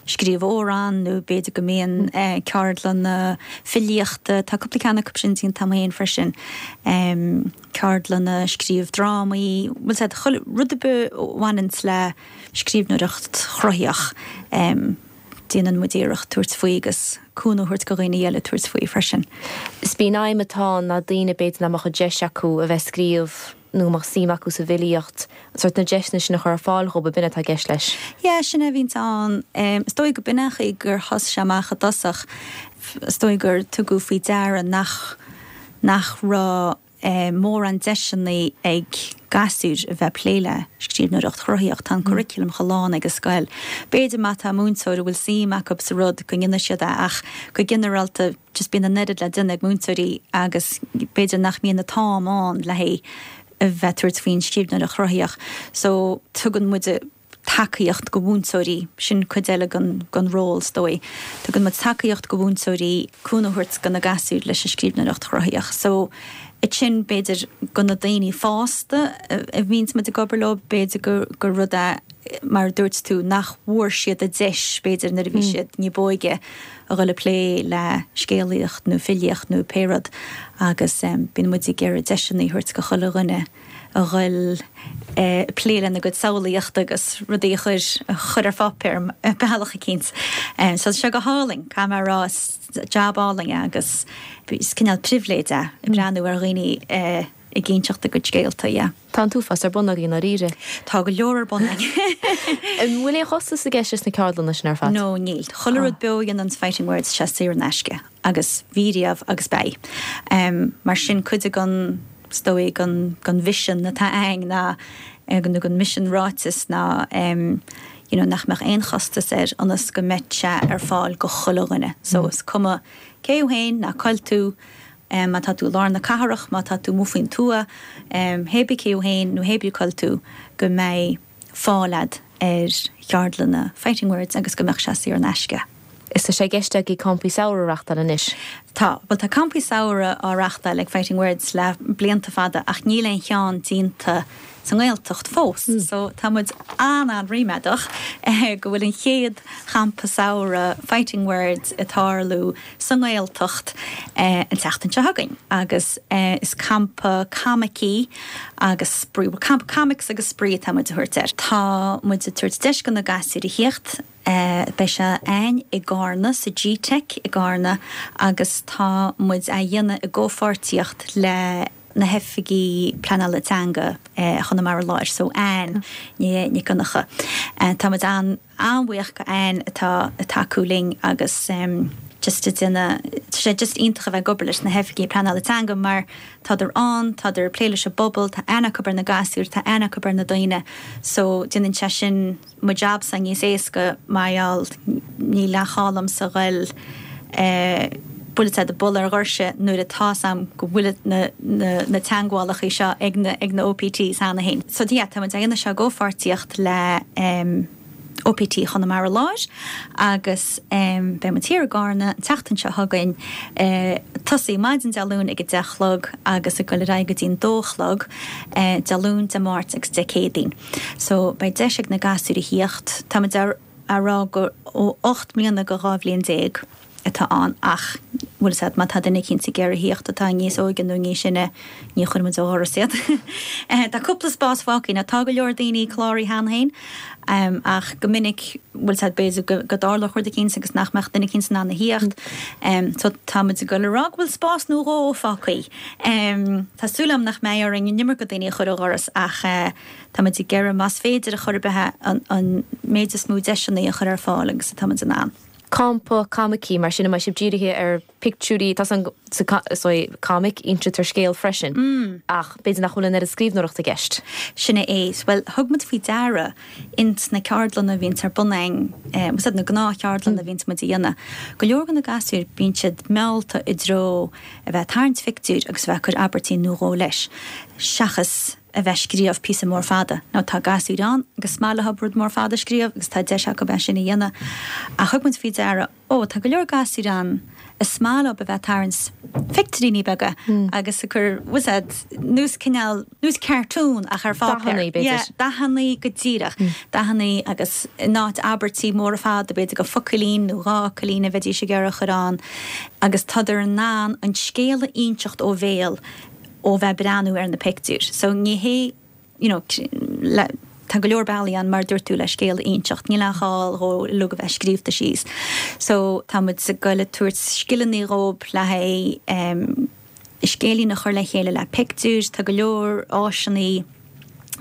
scríobh amhrán nó b'fhéidir go mbíonn ceardlanna filíochta, tá cúpla ceann acu sin déanta agam féin freisin, ceardlanna scríobh drámaí, bhfuil 's a'd, chuile rud ar bith a bhaineanns le scríbhneoireacht chruthaitheach, déanann muid iarracht tabhairt faoi agus cúnamh a thabhairt go dhaoine eile tabhairt faoi freisin. Is b'í an aidhm atá ann ná daoine b'fhéidir nach mbeadh an deis acu a bheith ag scríobh nó go mbeadh suim acu sa bhfilíocht, sórt na deiseanna sin a chur ar fáil dhóibh, ab in atá i gceist leis? Yeah, sin é a bhíonns ann. Is dóigh go b'in an chaoi gur thosaigh sé amach i dtosach. Is dóigh gur tugadh faoi deara nach, nach raibh mórán deiseanna ag gasúir a bheith ag plé le scríbhneoireacht chruthaíoch. Tá an curriculum chomh lán ag an scoil. B'fhéidir má tá múinteoir a bhfuil suim acu sa rud go ndéanfaidh siad é ach go ginearálta, just bíonn an oiread le déanamh ag múinteoirí agus b'fhéidir nach mbíonn an t-am ann le haghaidh a bheith ag tabhairt faoin scríbhneoireacht chruthaíoch. So tugann muid tacaíocht go mhúinteoirí, sin cuid eile den den ról is dóigh. Tugann muid tacaíocht go mhúinteoirí cúnamh a thabhairt go na gasúir leis an scríbhneoireacht chruthaíoch. So ansin b'fhéidir go na daoine fásta a bhíonns muid ag obair leo, b'fhéidir gur gur rud é mar a dúirt tú nach bhfuair siad an deis b'fhéidir nuair a bhí siad ní b'óige a dhul ag plé le scéalaíocht nó filíocht nó pé rud agus bíonn muid ag iarraidh deiseanna a thabhairt go chuile dhuine a dhul ag plé lena gcuid samhlaíochta agus rudaí a chur a chur ar pháipéar ar bealach eicínt. So tá sé go hálainn, caithfidh mé a rá, is jab álainn é agus is cineál pribhléid é ag breathnú ar dhaoine ag inseacht a gcuid scéalta, yeah. Tá an t-uafás ar bun agaibh i ndáiríre. Tá go leor ar bun againn. An bhfuil aon chostas i gceist leis na ceardlanna sin ar fad? No, níl. Chuile rud beo a dhéananns Fighting Words, tá sé saor in aisce agus bhí riamh agus beidh. Mar sin cuid den, is dóigh, den, den mhisean atá againn ná, nó den misean ráiteas ná you know nach mbeadh aon chostas air ionas go mbeidh sé ar fáil go chuile dhuine. So is cuma cé thú féin ná cá bhfuil tú, Má tá tú i lár na cathrach, má tá tú amuigh faoin tuath, hé bith cé thú féin nó hé bith cá bhfuil tú, go mbeidh fáil a'd ar cheardlanna Fighting Words agus go mbeadh sé saor in aisce. Is tá sé i gceist agaibh campaí samhraidh a reachtáil anois. Tá. Bhuel tá campaí samhraidh á reachtáil ag Fighting Words le blianta fada ach níl aon cheann déanta sa nGaeltacht fós. So tá muid an-an-ríméadach go bhfuil an chéad champa samhraidh Fighting Words ag tarlú sa nGaeltacht an tseachtain seo chugainn agus is campa coimicí agus spraoi, bhuel campa comics agus spraoi atá muid a thabhairt air. Tá muid ag tabhairt deis go na gasúir a thíocht, beidh sé a'ainn i gCarna, sa G-Teic i gCarna agus tá muid á dhéanamh i gcomhpháirtíocht le na hoifigí pleanála teanga Chonamara Láir, so Anne Nic Dhonncha. Tá muid an an-bhuíoch go Anne atá ag tacú linn agus just ag déanamh, tá sé just iontach a bheith ag obair leis na hoifigí pleanála teanga mar tádar ann, tádar ag plé leis an bpobal, tá aithne acu ar na gasúir, tá aithne acu ar na daoine so déanann sé sin mo jab-sa níos éasca mar gheall níl aon chall a'msa ghoil bhfuil a fhios a'd ag bualadh ar dhoirse nuair atá's a'm go bhfuil na na teangmhálacha seo ag na ag na OPTs cheana féin. So yeah tá muid á dhéanamh seo i gcomhpháirtíocht le OPT Chonamara Láir agus beidh muid thiar i gCarna an tseachtain seo chugainn tosaí maidin Dé Luain ag a 10 a chlog agus ag dul ar aghaidh go dtí'n dó a chlog Dé Luain, Dé Máirt agus Dé Céadaoin. So beidh deis ag na gasúir a thíocht. Tá muid á rá gur ó 8 mbliana go 12 bhliain atá ann ach bhfuil 'fhios a'd má tá duine eicínt ag iarraidh thíocht atá níos óige nó níos sine ní chuirfidh muid ó dhoras iad. Tá cúpla spás fágtha now tá go leor daoine cláraithe cheana féin ach go minic bhfuil 'fhios a'd b'fhéidir go go dtarlódh rud eicínt agus nach mbeadh duine eicínt in ann a thíocht. So tá muid ag dul a rá go bhfuil spás nó dhó fágtha. Tá súil agam nach mbeidh orainn an iomarca daoine a chur ó dhoras ach tá muid ag iarraidh más féidir a chor ar bith an méid is mó deiseanna a chur ar fáil agus atá muid in ann. Campa coimicí, mar sin, an mbeidh sibh dírithe ar pictiúirí, tá san sa comic, insítear scéal freisin, ach b'fhéidir nach bhfuil an oiread scríbhneoireachta i gceist. Sin é. Bhuel, thug muid faoi deara ins na ceardlanna a bhíonns ar bun againn, bhfuil 's a'd, na gnáthcheardlanna a bhíonns muid a dhéanamh, go leor de na gasúir, bíonn siad meallta i dtreo a bheith ag tarraingt phictiúir agus a bheith ag cur abairtí nó dhó leis, seachas a bheith scríobh píosa mór fada. Now tá gasúir ann agus is maith leob rud mór fada a scríobh agus tá deis acu é sin a dhéanamh ach thug muid faoi deara, ó tá go leor gasúir ann is maith leob a bheith ag tarraingt phictiúiríní beaga agus ag cur, bhfuil 's a'd, nós cineál, nós cartoon ach ar pháipéar. Dathannaí b'fhéidir. Yeah, dathannaí go díreach. Dathannaí agus in áit abairtí móra fada b'fhéidir gur focailín nó dhá fhocailín a bheidís ag iarraidh a chur ann agus tádar in ann an scéal a inseacht ó bhéal ó bheith breathnú ar na pictiúir. So ní hé, you know, le, tá go leor bealaí ann mar a dúirt tú le scéal a inseacht, níl aon ghá dhó uilig a bheith scríobhta síos. So tá muid ag goil ag tabhairt scileanna dhóib le haghaidh em scéilín a chur le chéile le pictiúir, tá go leor áiseanna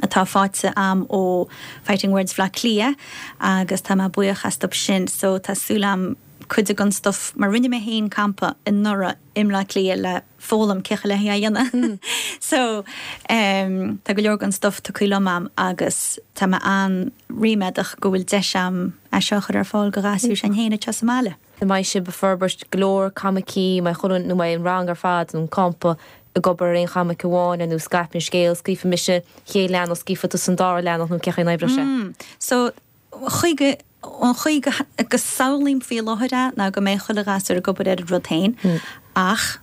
atá faighte a'm ó Fighting Words Bhaile Átha Cliath agus tá mé buíoch astu sin. So tá súil a'm cuid den stuff, mar rinne mé féin campa anuraidh i mBleá Cliath le foghlaim cén chaoi le é a dhéanamh. So tá go leor den stuff tugtha liom a'm agus tá mé an-ríméadach go bhfuil deis a'm é seo a chur ar fáil do ghasúir s'againn féin anseo sa mbaile. An mbeidh sibh ag forbairt go leor coimicí, an mbeidh chuile, nó an mbeidh an rang ar fad, nó an campa, ag obair ar aon choimic amháin, ar nós scaip an scéal, scríobfaidh mise an chéad leathanach, scríobfaidh tusa an dara leathanach, nó cén chaoi a n-oibreoidh sé? So, chuige, an chaoi go, go samhlaím faoi láthair é ná go mbeidh chuile ghasúr ag obair ar a rud féin ach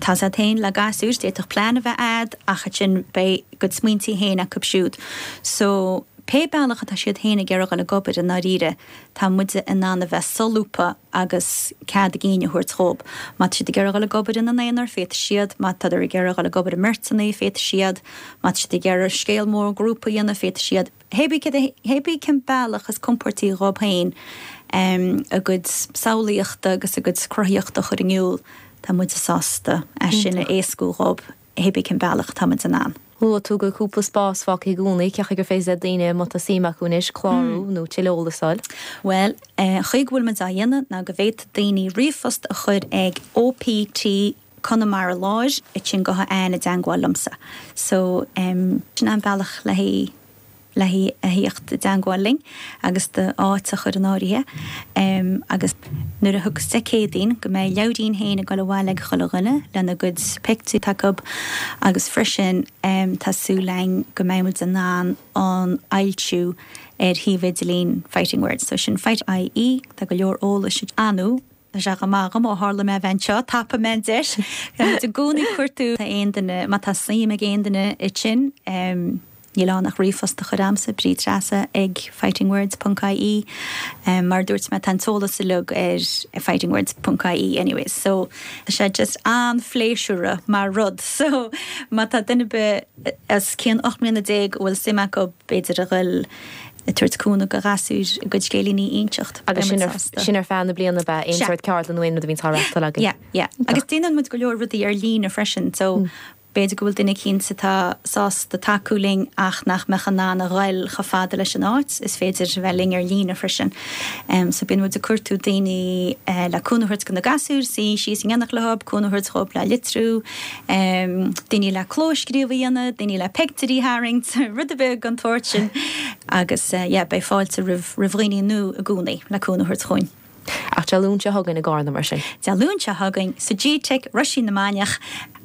tá's a'd féin le gasúir, d'fhéadfadh plean a bheith a'd ach ansin beidh a gcuid smaointí féin acu siúd. So, pé bealach atá siad féin ag iarraidh dhul ag obair i ndáiríre, tá muide in ann a bheith solúbtha agus cead a gcinn a thabhairt dhób. Má tá siad ag iarraidh dhul ag obair ina n-aonar, féadfaidh siad, má tádar ag iarraidh dhul ag obair i mbeirteanna, féadfaidh siad, má tá siad ag iarraidh scéal mór grúpa a dhéanamh, féadfaidh siad. Hé bith cén bealach is compóirtí dhób féin a gcuid samhlaíochta agus a gcuid cruthaíochta a chur in iúl, tá muide sásta é sin a éascú dhób, hé bith cén bealach atá muid in ann. Luaigh tú go bhfuil cúpla spás fágtha i gcónaí, cén chaoi gur féidir le daoine, má tá suim acu anois, clárú nó tuilleadh eolais a fháil? Bhuel, an chaoi go bhfuil muid á dhéanamh ná go bhféadfaidh daoine ríomhphost a chur ag OPT Conamara Láir, ansin gabhfaidh Anne i dteangmháil liomsa. So, sin an bealach le haghaidh le haghaidh a thíocht i dteangmháil linn agus d'áit a chur in áirithe. Agus nuair a thiocfas Dé Céadaoin go mbeidh leabhairín féin ag dul abhaile ag chuile dhuine lena gcuid pictiúr acu agus freisin tá súil againn go mbeidh muid in ann an fhoilsiú ar shuíomh idirlín Fighting Words. So sin fight ie, tá go leor eolais ann. Tá sé go maith agam ó tharla mé a bheith anseo, tapaigh mé an deis. Tá muid i gcónaí ag cuartú aon duine, má tá suim ag aon duine ansin, níl ann ach ríomhphost a chur a'msa, Bríd Treasa ag fightingwords ponc ie. Mar a dúirt mé, tá an t-eolas uilig ar fightingwords ponc ie anyways. So tá sé just an-phléisiúrtha mar rud. So má tá duine ar bith os cionn 18 mbliana a bhfuil suim acu b'fhéidir a ghoil ag tabhairt cúnamh do ghasúir a gcuid scéilíní a inseacht. Agus sin ar, sin ar feadh na bliana ab ea, aon sórt ceardlann nó aon rud a bhíonns á reachtáil agaibh? Yeah, yeah. Agus déanann muid go leor rudaí ar líne freisin, so b'fhéidir go bhfuil duine eicínt atá sásta tacú linn ach nach mbeadh in ann a ghoil chomh fada leis an áit, is féidir a bheith linn ar líne freisin. So bíonn muid ag cuartú daoine le cúnamh a thabhairt do na gasúir, suí síos in éineacht leo, cúnamh a thabhairt dhóibh le litriú, daoine le clóscríobh a dhéanamh, daoine le peictiúirí a tharraingt, rud ar bith den tsórt sin agus yeah beidh fáilte roimh roimh dhaoine nua i gcónaí le cúnamh a thabhairt chugainn. Ach Dé Luain seo chugainn i gCarna mar sin. Dé Luain seo chugainn sa GTeic, Roisín na Mainiach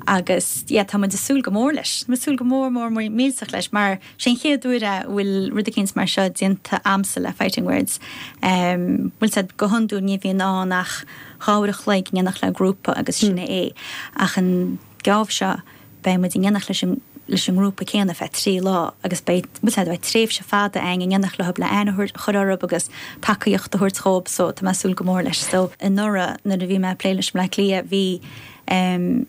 agus yeah tá muid ag súil go mór leis. Tá muid ag súil go mór mór mór millteach leis mar sé an chéad uair é a bhfuil rud eicínt mar seo déanta a'msa le Fighting Words. Bhfuil 's a'd go hiondúil ní bhíonn ann ach 2 uair a chloig in éineacht le grúpa agus sin é é. Ach an geábh seo beidh muid in éineacht leis an leis an ngrúpa céanna feadh 3 lá agus beidh, bhfuil 's a'd, beidh tréimhse fada againn in éineacht leo le aithne a chur orthu agus tacaíocht a thabhairt dhóibh so tá mé ag súil go mór leis. So anuraidh nuair a bhí mé ag plé leis Bleá Cliath bhí em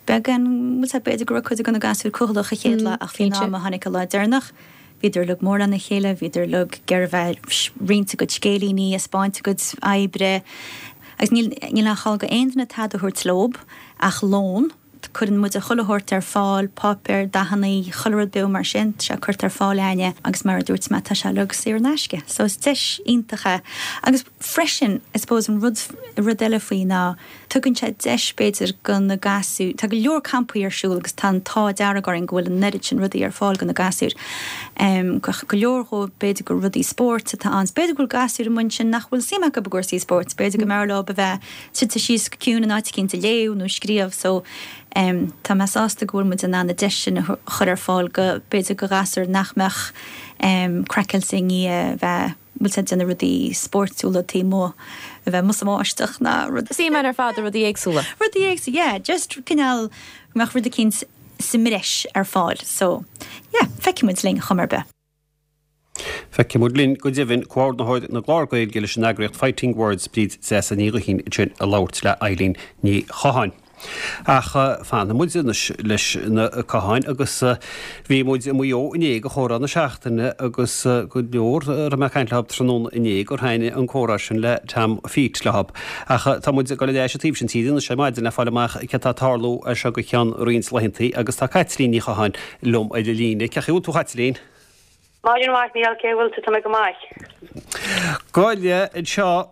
beagán, bhfuil 's a'd, b'fhéidir go raibh cuid de na gasúir cúthalach an chéad lá ach faoin am a tháinig an lá deireanach Bhíodar uilig mór lena chéile, bhíodar uilig ag iarraidh bheith ag roinnt a gcuid scéilíní, ag 'spáint a gcuid oibre. Agus níl, níl aon chall go aon duine tada a thabhairt leob ach lón. teacht, cuireann muide chuile shórt ar fáil, páipéar, dathannaí, chuile rud beag mar sin, tá sé curtha ar fáil a'inne agus mar a dúirt mé, tá sé uilig saor in aisce. So is deis iontach é. Agus freisin, I suppose an rud, rud eile faoi ná, Tugann sé deis, b'fhéidir, go na gasúir, tá go leor campaí ar siúl agus tá an t-ádh dearg orainn go bhfuil an oiread sin rudaí ar fáil go na gasúir. Go leor dhóibh, b'fhéidir gur rudaí spóirt atá ann. B'fhéidir go bhfuil gasúir amuigh ansin nach bhfuil suim acu i gcúrsaí spóirt, b'fhéidir go mb'fhearr leo a bheith suite síos go ciúin in áit eicínt ag léamh nó ag scríobh so tá mé sásta go bhfuil muid in ann an deis sin a chur ar fáil go, b'fhéidir go ghasúir nach mbeadh craiceáilte i ndiaidh a bheith bhfuil siad ag déanamh rudaí spóirtiúla taobh amuigh, a bheith amuigh sa mbáisteach ná rud. Suim ann ar fad i rudaí éagsúla. Rudaí éagsúla, yeah, just cineál go mbeadh rud eicínt sa mbreis ar fáil. So, yeah, feicfidh muid linn chuma ar bith. Feicfidh muid linn go deimhin, Comhordaitheoir na gClár Gaeilge leis an eagraíocht Fighting Words, Bríd Treasa Ní Ghuithín ansin ag labhairt le Eilín Ní Chatháin. Ach fanfaidh muid anois leis na Catháin agus bhí muid i Maigh Eo inné do chomhrá na seachtaine agus go leor a raibh mé ag caint leo tráthnóna inné gur thaitnigh an comhrá sin le Tom Pheat leo. Ach tá muid ag dul ar ais an taobh sin tíre anois ar maidin le fáil amach céard atá ag tarlú as seo go ceann roinnt laethanta agus tá Caitlín Ní Chatháin liom ar an líne. Cén chaoi a bhfuil tú a Chaitlín? Maidin mhaith, Mícheál, cén chaoi a bhfuil tú? Tá mé go maith. Go háirithe anseo,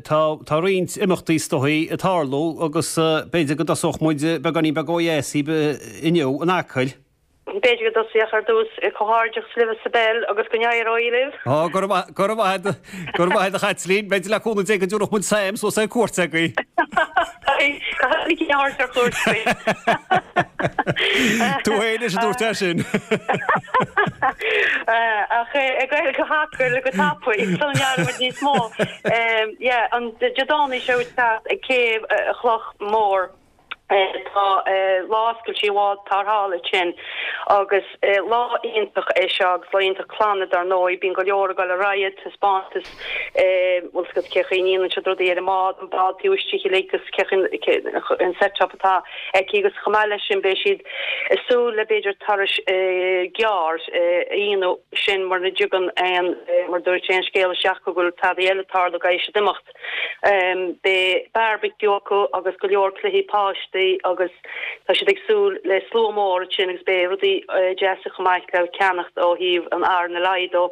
tá roinnt imeachtaí is dóichí ag tarlú agus b'fhéidir go dtosódh muid beagáinín beag ó dheas inniu in Acaill. B'fhéidir go dtosódh ar dtús, comhghairdeachas libh sa bpeil agus go n-éireoidh libh. Ó, go raibh maith, go raibh maith agat, go raibh maith agat a Chaitlín. B'fhéidir le cúnamh Dé go dtabharfadh muid Sam suas ar cuairt agaibh. Caithfidh mé a thabhairt ar cuairt agaibh. Tú féin anois a dúirt é sin. Ach ag goil go hAcaill go tapaidh sula ndearna muid níos mó. Yeah, an Dé Domhnaigh seo ag teacht ag Céibh Chloch Mhór tá lá oscailte an bhád tarrthála ansin agus lá iontach é seo agus lá iontach clainne dar ndóigh. Bíonn go leor ag dul ar aghaidh, taispeántas bhfuil 's agat cé chaoi a ndéanann siad rudaí ar an mbád, an bád taobh istigh uilig agus cé chaoi an set up atá aici agus chomh maith leis sin beidh siad ag súil le b'fhéidir turais gearr a dhéanamh sin mura dtigeann aon mar dúirt aon scéal isteach go bhfuil tada eile ag tarlú go gcaithfidh siad imeacht. Beidh barbecue acu agus go leor cluichí páistí agus tá siad ag súil le slua mór ansin agus beidh rudaí deasa chomh maith le ceannacht ó thaobh an RNLI dó.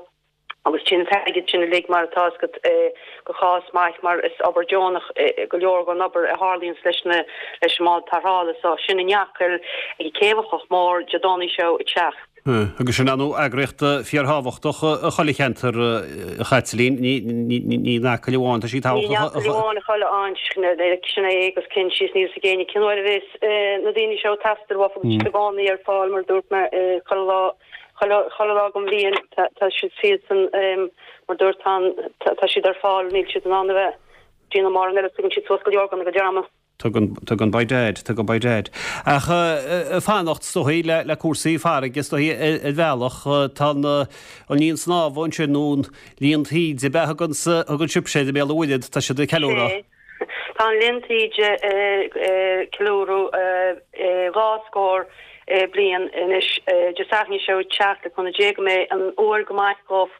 Agus téann an t-airgead sin uilig, mar atá 'fhios agat, go chás maith mar is obair deonach go leor den obair a tharlaíonns leis na leis an mbád tarrthála so. Sin in Acaill ag Céibh an Chloch Mhór Dé Domhnaigh seo ag teacht. Agus sin ar ndóigh eagraíocht fíorthábhachtach i chuile cheantar, a Chaitlín, ní in Acaill amháin, tá sí Ní in tábhachtach. Acaill amháin, i chuile áit, sin é agus cinn síos níl 'fhios ag éinne cén uair a bheas na daoine seo ag teastáil uafa agus siad i gcónaí ar fáil mar a dúirt mé chuile lá. Chuile lá den bhliain tá siad siadsan, mar dúirt tá, tá siad ar fáil, níl siad in ann a bheith ag déanamh mórán eile, tugann siad suas go leor den a gcuid ama. Tugann, tugann by dad, tugann by dad. Ach fanacht is dóichí le, le cúrsaí farraige is dóichí ar bhealach, tá an, an linn snámha ansin nó an linn taoide ab ea a thugann, thugann sibhse air i mBéal an Mhuirthead, tá siad ag ceiliúradh. Tá an Linn Taoide ag ceiliúradh 2 scór bliain anois. Dé Sathairn seo ag teacht, le cúnamh Dé go mbeidh an uair go maith dhóibh.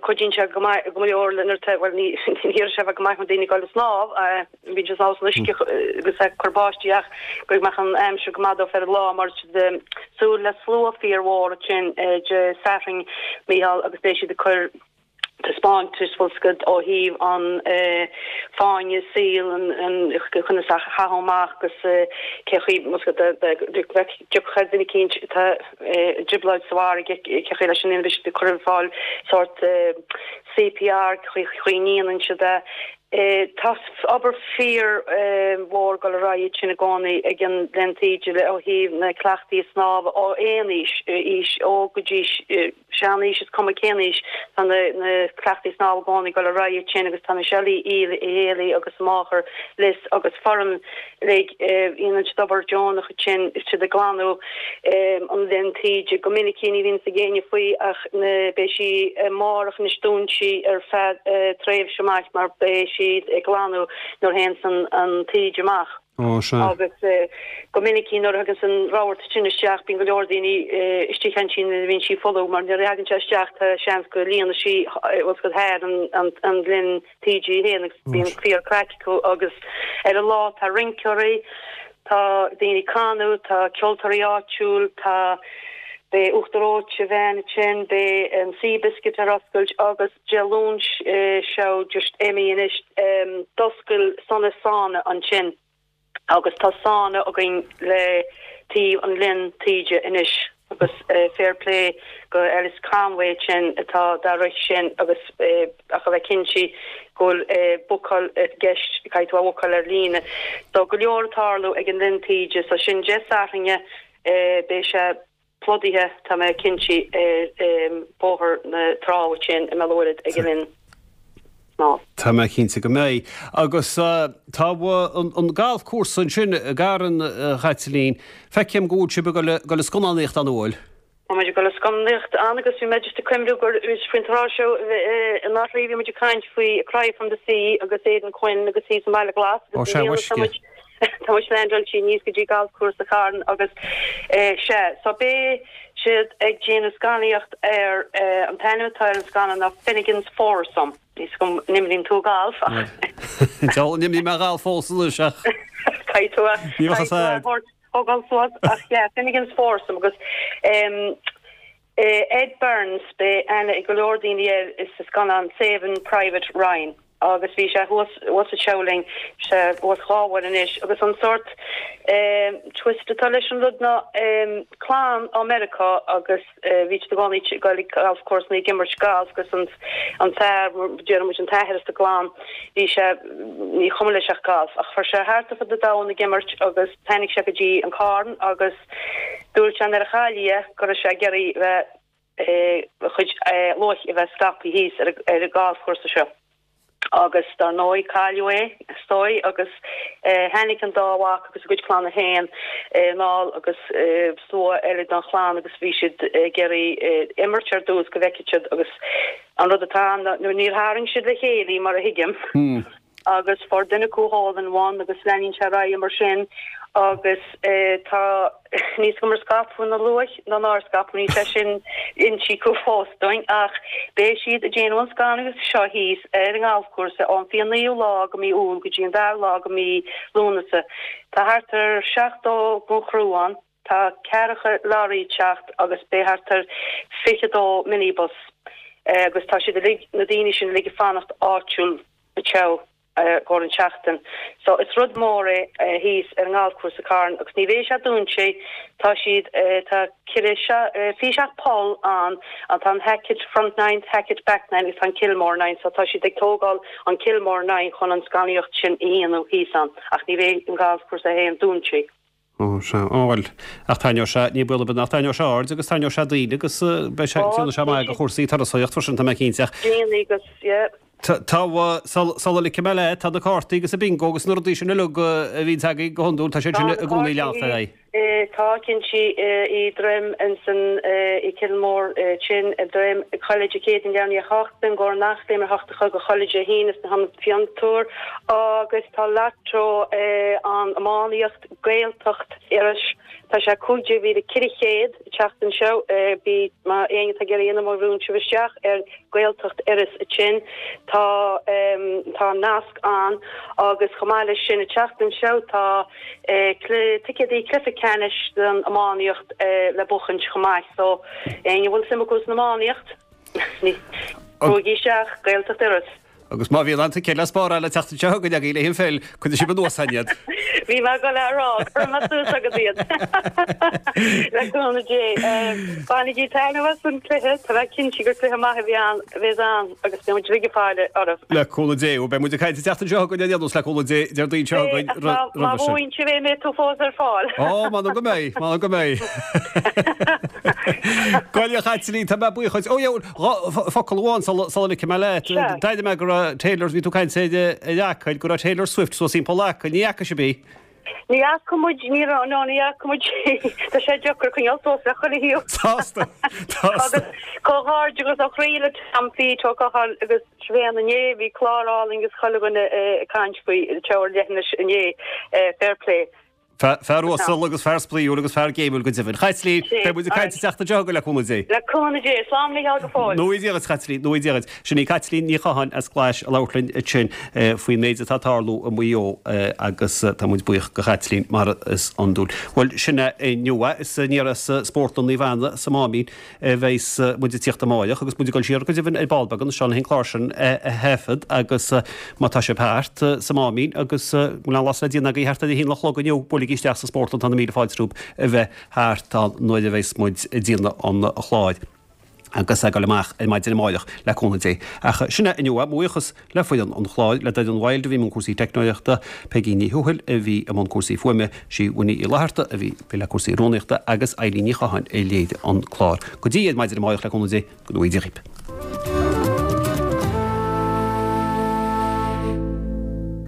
Cuidíonn sé go maith go leor le nuair atá, bhuel ní iarrann sé a bheith go maith na daoine ag dul ag snámh, bíonn siad ag snámh san uisce agus ag cur báistí ach go mbeadh an aimsir go maith dóibh ar an lá mar tá siad ag súil le slua fíormhór ansin Dé Sathairn, Mícheál, agus beidh siad ag cur taispeántais bhfuil 's agat ó thaobh an fáinne saoil an conas a chaitheamh amach agus cé chaoi bhfuil 's agat dá dtiocfadh ar duine eicínt atá i dtrioblóid sa bhfarraige cé chaoi leis an ndéanamh beidh siad ag cur ar fáil sórt CPR cé chaoi a ndéanann siad é. Tá obair fíor mhór ag dul ar aghaidh ansin i gcónaí ag an Linn Taoide ó thaobh na cleachtaí snámha ó aon aois, aois óg go dtí sean-aois, is cuma cén aois, tá na cleachtaí snámha i gcónaí ag dul ar aghaidh ansin agus tá Michelle Uí Héalaí agus a máthair Liz agus foireann uilig, dhéanann siad obair deonach ansin, is siad ag glanadh an linn taoide go minic, ní bhíonn 'fhios ag éinne faoi ach beidh sí amárach anois dúnta sí ar feadh tréimhse maith mar beidh siad ag glanadh nuair a théanns an taoide amach. Ó, sea. Agus go minic nuair a thaganns an rabharta sin isteach bíonn go leor daoine istigh ansin nuair a bhíonn sí folamh mar nuair a thagann sé isteach tá seans go líonfaidh sí bhfuil 's agat thar an linn taoide í féin agus bíonn fíor craic acu agus ar an lá tá rinceoirí. Tá daoine ag canadh, tá ceoltóirí áitiúil, tá, beidh uachtar reoite veain ansin, beidh an Seabiscuit ar oscailt agus Dé Luain seo just imithe anois d'oscail Sunna Sauna ansin agus tá sauna againn le taobh an linn taoide anois agus fair play go Alice Conway ansin atá dá rith sin agus ach a bheith cinnte go bhfuil bookáil i gceist, caithfidh tú a bhookáil ar líne. So go leor ag tarlú ag an Linn Taoide so sin Dé Sathairn beidh sé plódaithe, tá mé cinnte, ar Bhóthar na Trá ansin i mBéal an Mhuirthead ag an linn snámha. Tá mé cinnte go mbeidh. Agus tá an galfchúrsa ansin i gCarn, a Chaitlín. Feicim go bhfuil sibh ag dul ag scannánaíocht ann, an bhfuil? Tá muid ag dul ag scannánaíocht ann agus bhí mé just ag cuimhniú gur faoin tráth seo anuraidh bhí muid ag caint faoi A Cry from the Sea agus Aidan Quinn agus thíos i mBaile Glas agus i mbliana tá muid Tá muid leaindeáilte aníos go dtí galfchúrsa Charn agus sea, so beidh siad ag déanamh scannánaíocht ar, an t-ainm atá ar an scannán ná Finnegan's Foursome. Níl 's agam an imríonn tú galf ach. Deabhal an imrím mé galf fós anois ach. Caithfidh tú a, caithfidh tú a thógáil suas ach yeah, Finnegan's Foursome agus Ed Burns, beidh aithne ag go leor daoine air sa scannán Saving Private Ryan agus bhí sé thuas thuas anseo linn, bhí sé thuas dhá uair anois agus an sórt twist atá leis an rud ná clann ó Meiriceá agus bhí siad i gcónaí ag dul ag galfchúrsa ag imirt galf agus an an fear, déarfaidh muid an t-athair sa gclann, bhí sé, ní chuma leis ach galf ach fuair sé thart ar fud an domhain ag imirt agus tháinig sé go dtí an Carn agus Dúirt sé nuair a chailleadh é go raibh sé ag iarraidh bheith a chuid luaith a bheith scaipthe thíos ar an galfchúrsa seo. Agus dar ndóigh cailleadh é, is dóigh, agus tháinig an dá mhac agus a gcuid clanna féin anall agus slua eile den chlann agus bhí siad ag iarraidh imirt ar dtús go bhfeicfeadh siad agus an rud atá ann ná níor tharraing siad le chéile í mar a thuigim. agus fuair duine acu hole in one agus leanann sé ar aghaidh mar sin agus tá níl 's agam ar scaipeadh na luaith nó nár scaipeadh, níl sé sin inste acu fós dúinn ach beidh siad ag déanamh an scannáin seo thíos ar an ngalfchúrsa ón 29ú lá go mí Iúil go dtí an dara lá go mí Lúnasa. Tá thart ar 70 den chriú ann. Tá ceathracha lorry ag teacht agus beidh thart ar 22 minibus agus tá siad uilig, na daoine sin uilig ag fanacht áitiúil anseo i gcomhair an tseachtain. So is rud mór é thíos ar an ngalfchúrsa Carn agus ní bheidh sé dúnta, tá siad, tá ceithre, 27 poll ann, tá an Hackett front nine, Hackett back nine agus tá an Kilmore nine so tá siad ag tógáil an Kilmore nine chun an scannaíocht sin a dhéanamh thíos ann ach ní bheidh an galfchúrsa féin dúnta. Ó, sea. Ó, bhuel, ach tarraingeoidh sé, ní baol ar bith nach dtarraingeoidh sé aird agus tarraingeoidh sé daoine agus beidh sé, déanfaidh sé maith do chúrsaí turasóireacht freisin, tá mé cinnte. Ach. Déanfaidh agus, yeah. Tá, sula ligfidh mé leat, tá na cártaí agus an bingo agus na rudaí sin uilig a bhíonns agaibh go hiondúil, tá siad sin i gcónaí ag leanacht ar aghaidh. Tá, cinnte, i dTroim ansan i Kilmore sin, i dTroim, chuile Dé Céadaoin leath i ndiaidh a 8, bingo ar an Eachléim ar 8 a chlog, chuile Dé hAoine sna hIonad Fiontar agus tá Lotto an iománaíocht Gaeltacht Iorrais tá sé 15,400 an tseachtain seo bí má éinne atá ag iarraidh dhéanamh má bhrúnn sibh isteach ar Gaeltacht Iorras ansin tá tá nasc ann agus chomh maith leis sin an tseachtain seo tá ticéadaí cluiche ceannais don iománaíocht le buachaint chomh maith so éinne a bhfuil suim acu san iománaíocht Brúigí isteach Gaeltacht Iorrais. Agus má bhíonn aon ticéad le spáráil an tseachtain seo chugainn agaibh le haghaidh an pheil, coinneoidh sibh anuas againn iad. Bhí mé ag dul a rá, cuirfidh mé suas agat iad. Le cúnamh Dé. Bainigí taitneamh as an cluiche, tá mé cinnte gur cluiche maith a bhí ann, a bheas ann agus beidh muid uilig ag faire oraibh. Le cúnamh Dé. Beidh muid ag caint an tseachtain seo chugainn ar aon nós le cúnamh Dé, Déardaoin seo chugainn roimhe sin. Má bhuann sibh é, mbeidh tú fós ar fáil. Ó, m'anam go mbeidh, m'anam go mbeidh. Bhuel, a Chaitlín, tá mé buíoch dhuit. Ó, yeah, focal amháin sula ligfidh mé leat. D'airigh mé go raibh Taylor, bhí tú ag caint ar Acaill, go raibh Taylor Swift suas timpeall Acaill. Ní fhaca sibh í? Ní fhaca muid, ní raibh, no, ní fhaca muid í. Tá sé deacair coinneáil suas le chuile thaobh. Sásta, sásta. Agus comhghairdeachas ó chroí le Tom Pete Ó Catháin agus Siobhán inné, bhí clár álainn agus chuile dhuine ag caint faoi, anseo ar leithinis inné. Fair play. Fear uasal agus fear spraíúil agus fear géimiúil go deimhin. Chaitlín, beidh muid ag caint an tseachtain seo chugainn le cúnamh Dé. Le cúnamh Dé. Slán Mícheál go fóill. Go ngnóthaí Dia duit, a Chaitlín, go ngnóthaí Dia duit. Sin í Caitlín Ní Chatháin as Glais ag labhairt linn ansin faoin méid atá ag tarlú i Maigh Eo agus tá muid buíoch go Chaitlín mar is iondúil. Bhuel, sin é inniu é. Is aniar as Spórtlann Naomh Anna sa Máimín a bheas muid ag tíocht amáireach agus muid ag dul siar go deimhin ar ball beag anseo le an clár sin a thaifead agus má tá sibh thart sa Máimín agus bhfuil an lá le déanamh agaibh thart ar a haon a chlog inniu, buailigí isteach sa spórtlann, tá na míle fáilte romhaibh a bheith thart ann nuair a bheas muid ag déanamh an chláir agus ag dul amach ar maidin amáireach le cúnamh Dé. Ach sin é inniu é, mo bhuíochas le foireann an chláir, le Doireann Wilde a bhí i mbun cúrsaí teicneoireachta, Peigí Ní Thuathail a bhí i mbun cúrsaí fuaime, sí Winnie Uí Fhlatharta a bhí le cúrsaí rúnaíochta agus Eilín Ní Chatháin a léirigh an clár. Go dtí ar maidin amáireach le cúnamh Dé, go ngnóthaí Dia dhaoibh.